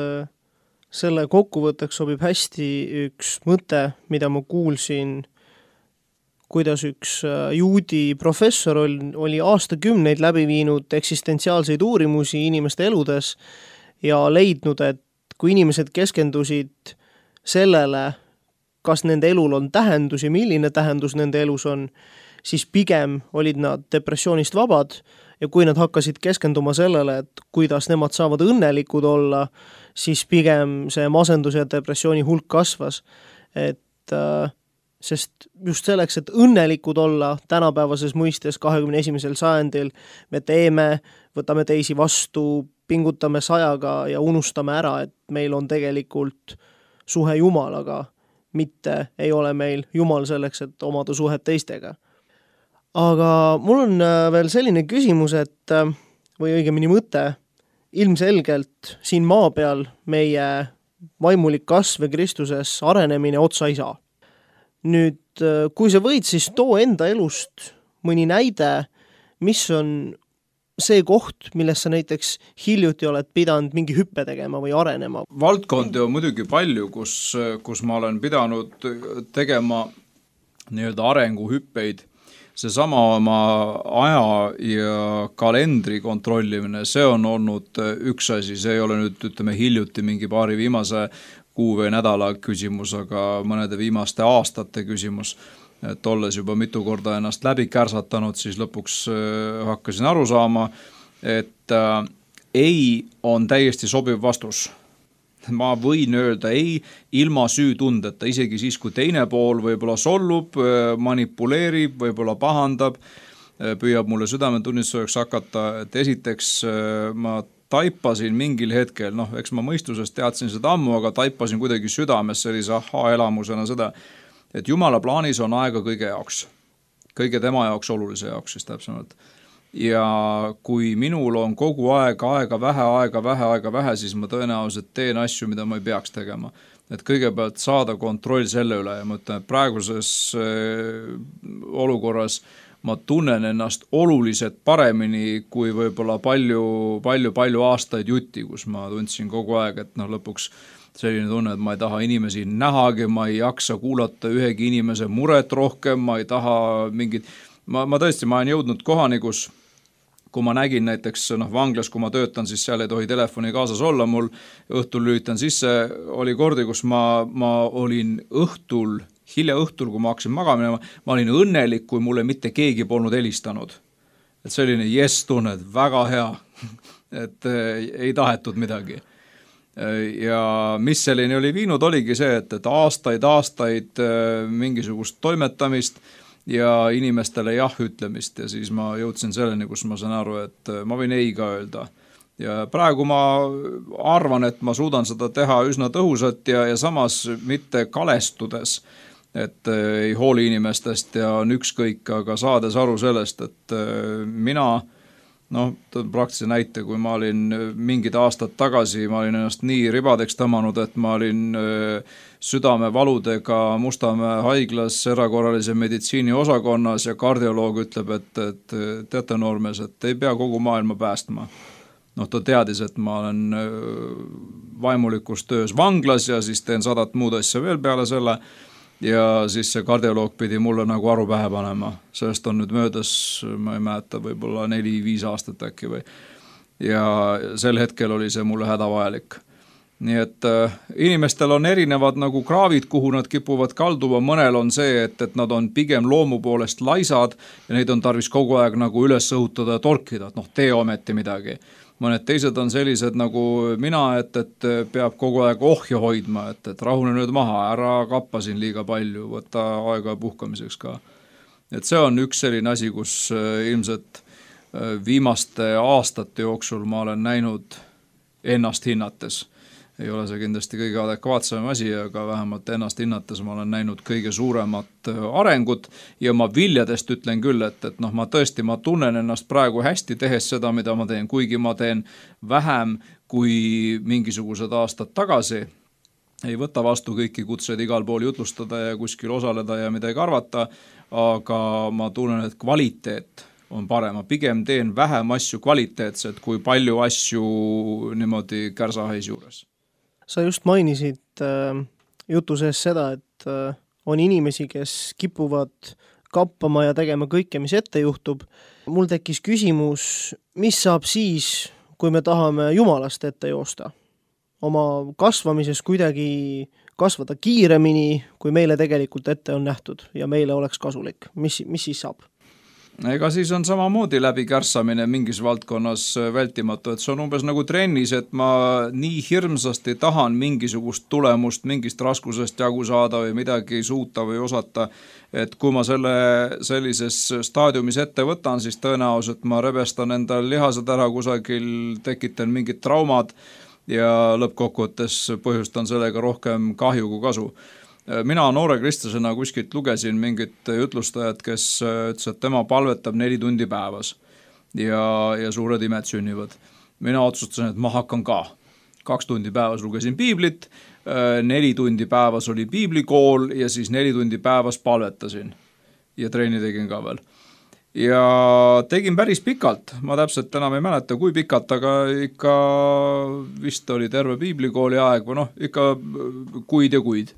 selle kokkuvõtteks sobib hästi üks mõte, mida ma kuulsin, kuidas üks juudi professor oli aastakümneid läbi viinud eksistentsiaalseid uurimusi inimeste eludes ja leidnud, et kui inimesed keskendusid sellele, kas nende elul on tähendus ja milline tähendus nende elus on, siis pigem olid nad depressioonist vabad ja kui nad hakkasid keskenduma sellele, et kuidas nemad saavad õnnelikud olla, siis pigem see masendus ja depressiooni hulk kasvas. Sest just selleks, et õnnelikud olla tänapäevases mõistes 21. sajandil, me teeme, võtame teisi vastu, pingutame sajaga ja unustame ära, et meil on tegelikult suhe Jumalaga, mitte ei ole meil Jumal selleks, et omada suhet teistega. Aga mul on veel selline küsimus, või õigemini mõte, ilmselgelt siin maa peal meie vaimulik kasv Kristuses arenemine otsa ei saa. Nüüd, kui sa võid, siis too enda elust mõni näide, mis on see koht, milles sa näiteks hiljuti oled pidanud mingi hüppe tegema või arenema? Valdkondi on muidugi palju, kus ma olen pidanud tegema arenguhüppeid. Seesama oma aja ja kalendri kontrollimine, see on olnud üks asi, see ei ole nüüd hiljuti mingi paari viimase kuu või nädala küsimus, aga mõnede viimaste aastate küsimus, et olles juba mitu korda ennast läbi kärsatanud, siis lõpuks hakkasin aru saama, et ei on täiesti sobiv vastus. Ma võin öelda ei ilma süütundeta, isegi siis, kui teine pool võib-olla sollub, manipuleerib, võib-olla pahandab, püüab mulle südametunnistuseks hakata, et esiteks ma taipasin mingil hetkel, eks ma mõistusest teadsin seda ammu, aga taipasin kuidagi südames sellise elamusena seda, et Jumala plaanis on aega kõige jaoks. Kõige tema jaoks, olulise jaoks siis täpsemalt. Ja kui minul on kogu aega vähe, siis ma tõenäoliselt teen asju, mida ma ei peaks tegema. Et kõigepealt saada kontroll selle üle ja ma ütlen, et praeguses olukorras ma tunnen ennast oluliselt paremini kui võib-olla palju aastaid jutti, kus ma tundsin kogu aeg, et lõpuks selline tunne, et ma ei taha inimesi nähagi, ma ei jaksa kuulata ühegi inimese muret rohkem, ma ei taha mingit, ma tõesti, ma olen jõudnud kohani, kus kui ma nägin näiteks vanglas, kui ma töötan, siis seal ei tohi telefoni kaasas olla, mul õhtul lülitan sisse, oli kordi, kus ma olin hilja õhtul, kui ma hakkasin magama, ma olin õnnelik, kui mulle mitte keegi polnud helistanud. Et selline tunne, et väga hea, et ei tahetud midagi. Ja mis selline oli viinud, oligi see, et aastaid mingisugust toimetamist ja inimestele jah ütlemist ja siis ma jõudsin selleni, kus ma saan aru, et ma võin ei ka öelda. Ja praegu ma arvan, et ma suudan seda teha üsna tõhusalt ja samas mitte kalestudes, et ei hooli inimestest ja on ükskõik, aga saades aru sellest, et mina, praktilise näite, kui ma olin mingid aastad tagasi, ma olin ennast nii ribadeks tõmmanud, et ma olin südamevaludega Mustamäe haiglas erakorralise meditsiini osakonnas ja kardioloog ütleb, et teate noormees, et ei pea kogu maailma päästma. Ta teadis, et ma olen vaimulikus töös vanglas ja siis teen 100 muud asja veel peale selle ja siis see kardioloog pidi mulle nagu aru pähe panema. Sellest on nüüd möödas, ma ei mäleta, võib-olla 4-5 aastat äkki või. Ja sel hetkel oli see mulle hädavajalik. Nii et inimestel on erinevad nagu kraavid, kuhu nad kipuvad kalduma, mõnel on see, et nad on pigem loomu poolest laisad ja neid on tarvis kogu aeg nagu üles õhutada ja torkida, et tee ometi midagi. Mõned teised on sellised nagu mina, et peab kogu aeg ohja hoidma, et rahune nüüd maha, ära kappa siin liiga palju, võtta aega puhkamiseks ka. Et see on üks selline asi, kus ilmselt viimaste aastate jooksul ma olen näinud ennast hinnates. Ei ole see kindlasti kõige adekvaatsem asi, aga vähemalt ennast hinnates ma olen näinud kõige suuremat arengut ja ma viljadest ütlen küll, et ma tõesti, ma tunnen ennast praegu hästi tehes seda, mida ma teen, kuigi ma teen vähem kui mingisugused aastad tagasi. Ei võta vastu kõiki kutseid igal pool jutlustada ja kuskil osaleda ja midagi arvata, aga ma tunnen, et kvaliteet on parem. Ma pigem teen vähem asju kvaliteetset kui palju asju niimoodi kärsahais juures. Sa just mainisid jutu sees seda, et on inimesi, kes kipuvad kappama ja tegema kõike, mis ette juhtub. Mul tekkis küsimus, mis saab siis, kui me tahame Jumalast ette joosta? Oma kasvamises kuidagi kasvada kiiremini, kui meile tegelikult ette on nähtud ja meile oleks kasulik. Mis siis saab? Ega siis on samamoodi läbi kärssamine mingis valdkonnas vältimatu, et see on umbes nagu trennis, et ma nii hirmsasti tahan mingisugust tulemust, mingist raskusest jagu saada või midagi suuta või osata, et kui ma sellises staadiumis ette võtan, siis tõenäoliselt ma rebestan endal lihased ära kusagil, tekitan mingid traumad ja lõppkokkuvõttes põhjustan sellega rohkem kahju kui kasu. Mina noore kristlasena kuskilt lugesin mingit jutlustajat, kes ütles, et tema palvetab 4 tundi päevas ja suured imed sünnivad. Mina otsustasin, et ma hakkan ka. 2 tundi päevas lugesin piiblit, 4 tundi päevas oli piiblikool ja siis 4 tundi päevas palvetasin ja treeni tegin ka veel. Ja tegin päris pikalt, ma täpselt enam ei mäleta, kui pikalt, aga ikka vist oli terve piiblikooli aeg või ikka kuid ja kuid.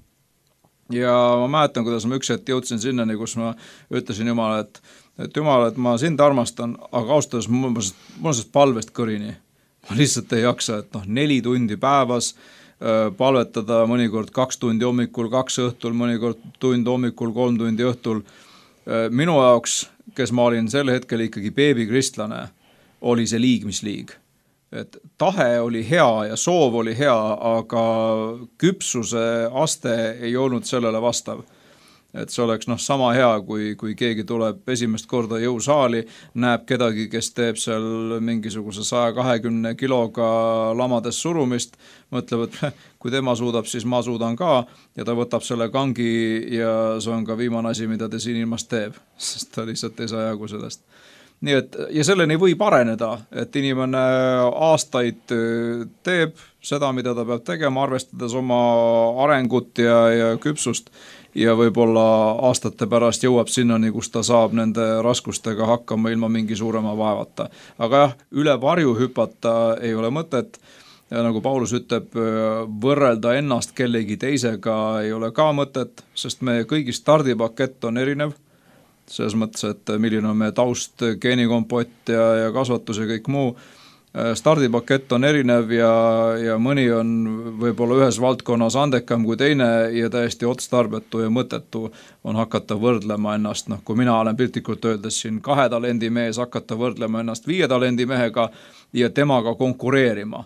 Ja ma mäletan, kuidas ma üks hetk jõudsin sinnani, kus ma ütlesin Jumala, et Jumal, et ma sind armastan, aga austas mul sellest palvest kõrini. Ma lihtsalt ei jaksa, et 4 tundi päevas palvetada, mõnikord 2 tundi hommikul, 2 õhtul, mõnikord tund hommikul, 3 tundi õhtul. Minu jaoks, kes ma olin sel hetkel ikkagi beebikristlane, oli see liig, mis liig. Et tahe oli hea ja soov oli hea, aga küpsuse aste ei olnud sellele vastav. Et see oleks sama hea, kui keegi tuleb esimest korda jõusaali, näeb kedagi, kes teeb seal mingisuguse 120 kiloga lamades surumist, mõtleb, et kui tema suudab, siis ma suudan ka ja ta võtab selle kangi ja see on ka viimane asi, mida ta siin ilmast teeb, sest ta lihtsalt ei saa jagu sellest. Nii et, ja selleni võib areneda, et inimene aastaid teeb seda, mida ta peab tegema, arvestades oma arengut ja küpsust ja võib-olla aastate pärast jõuab sinnani, kus ta saab nende raskustega hakkama ilma mingi suurema vaevata. Aga jah, üle varju hüpata ei ole mõtet ja nagu Paulus ütleb, võrrelda ennast kellegi teisega ei ole ka mõtet, sest meie kõigi stardipakett on erinev. Selles mõttes, et milline on meie taust, geenikompott ja kasvatus ja kõik muu. Stardipakett on erinev ja mõni on võib-olla ühes valdkonnas andekam kui teine ja täiesti otstarbetu ja mõttetu on hakata võrdlema ennast. Kui mina olen piltlikult öeldes siin 2 talendi mees, hakata võrdlema ennast 5 talendi mehega ja temaga konkureerima.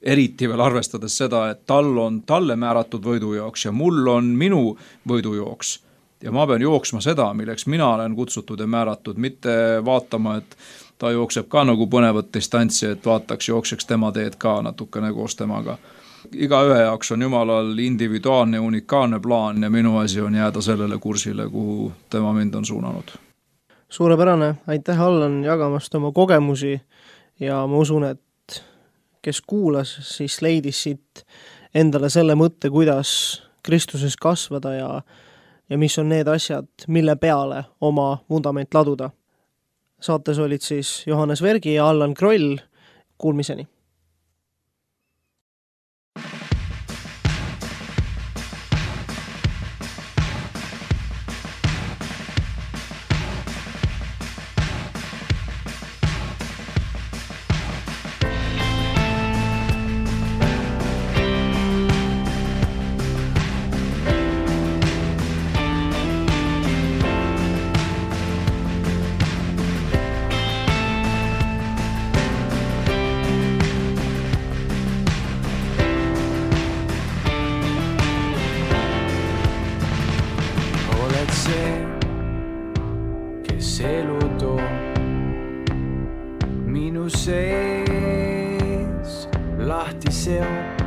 Eriti veel arvestades seda, et tal on talle määratud võidujooks ja mul on minu võidujooks. Ja ma pean jooksma seda, milleks mina olen kutsutud ja määratud, mitte vaatama, et ta jookseb ka nagu põnevat distantsi, et vaataks, jookseks tema teed ka natukene koos temaga. Iga ühe jaoks on Jumalal individuaalne ja unikaalne plaan ja minu asi on jääda sellele kursile, kuhu tema mind on suunanud. Suurepärane, aitäh Allan jagamast oma kogemusi ja ma usun, et kes kuulas, siis leidis siit endale selle mõtte, kuidas Kristuses kasvada ja mis on need asjad, mille peale oma vundament laduda. Saates olid siis Johannes Vergi ja Allan Kroll. Kuulmiseni! elu toob minu sees lahti seob.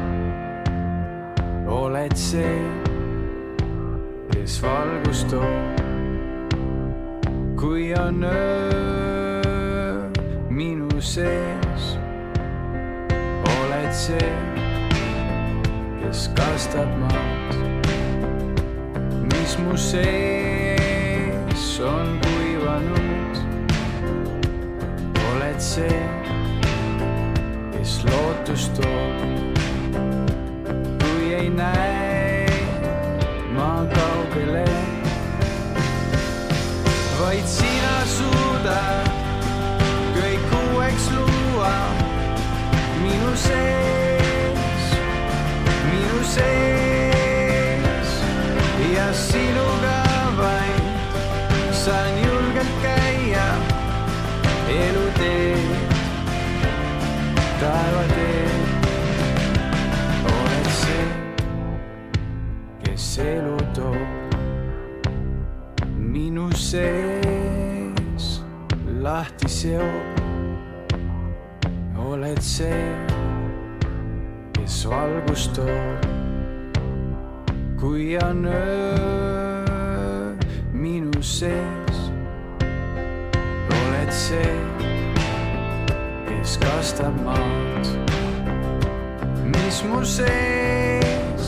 Oled see, kes valgust toob, kui on öö minu sees. Oled see, kes kastab maad, mis mu sees on kuivanud. Oled see, kes lootust toob, kui ei näe ma kaugele. Vaid sina suudad kõik uueks luua minu sees, ja sinuga vaid saan julgelt käia elu teed, taeva teed. Oled see, kes elu toob minu sees lahti seob. Oled see, kes valgust toob, kui on öö minu sees. Oled see, kes kastab maad, mis mu sees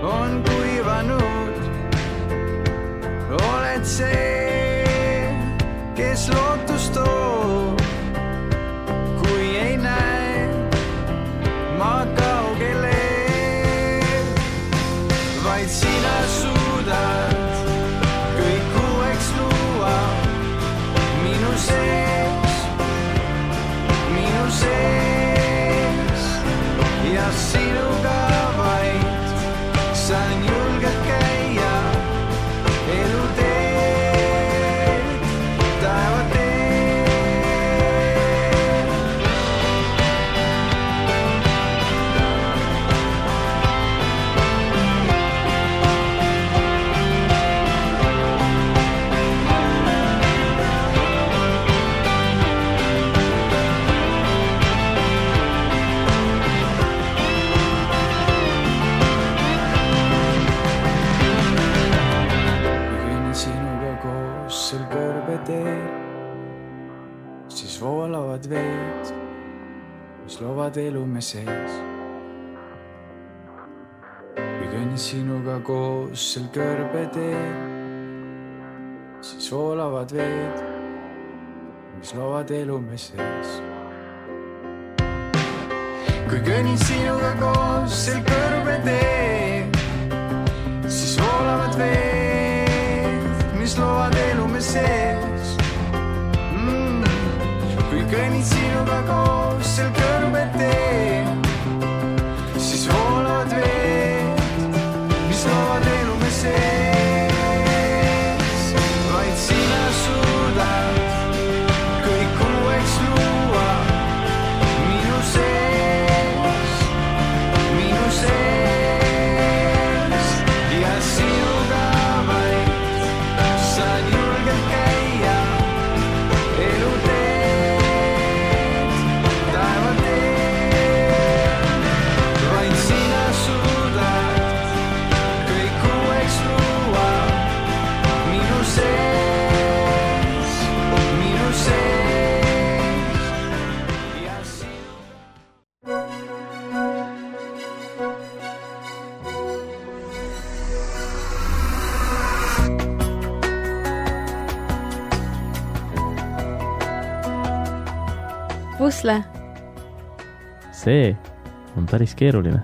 on kuivanud. Oled see, kes lootust toob, kui ei näe ma kaugele. Vaid sina suudad kõik uueks luua minu sees, ja sinuga vaid saan julgelt käia elu teed, taeva teed. Siis voolavad veed, mis loovad elu me sees. Kui kõnnin sinuga koos sel kõrbeteel, siis voolavad veed, mis loovad elu me sees. Kui kõnnin sinuga koos sel kõrbeteel, siis voolavad veed, mis loovad elu me sees. Kui kõnnin sinuga koos sel kõrbeteel, siis voolavad veed, mis loovad elu me sees. Vaid sina suudad kõik uueks luua minu sees, ja sinuga vaid saan julgelt käia elu teed, taeva teed. Vaid sina suudad kõik uueks luua minu sees, ja sinu. Pusle. See on päris keeruline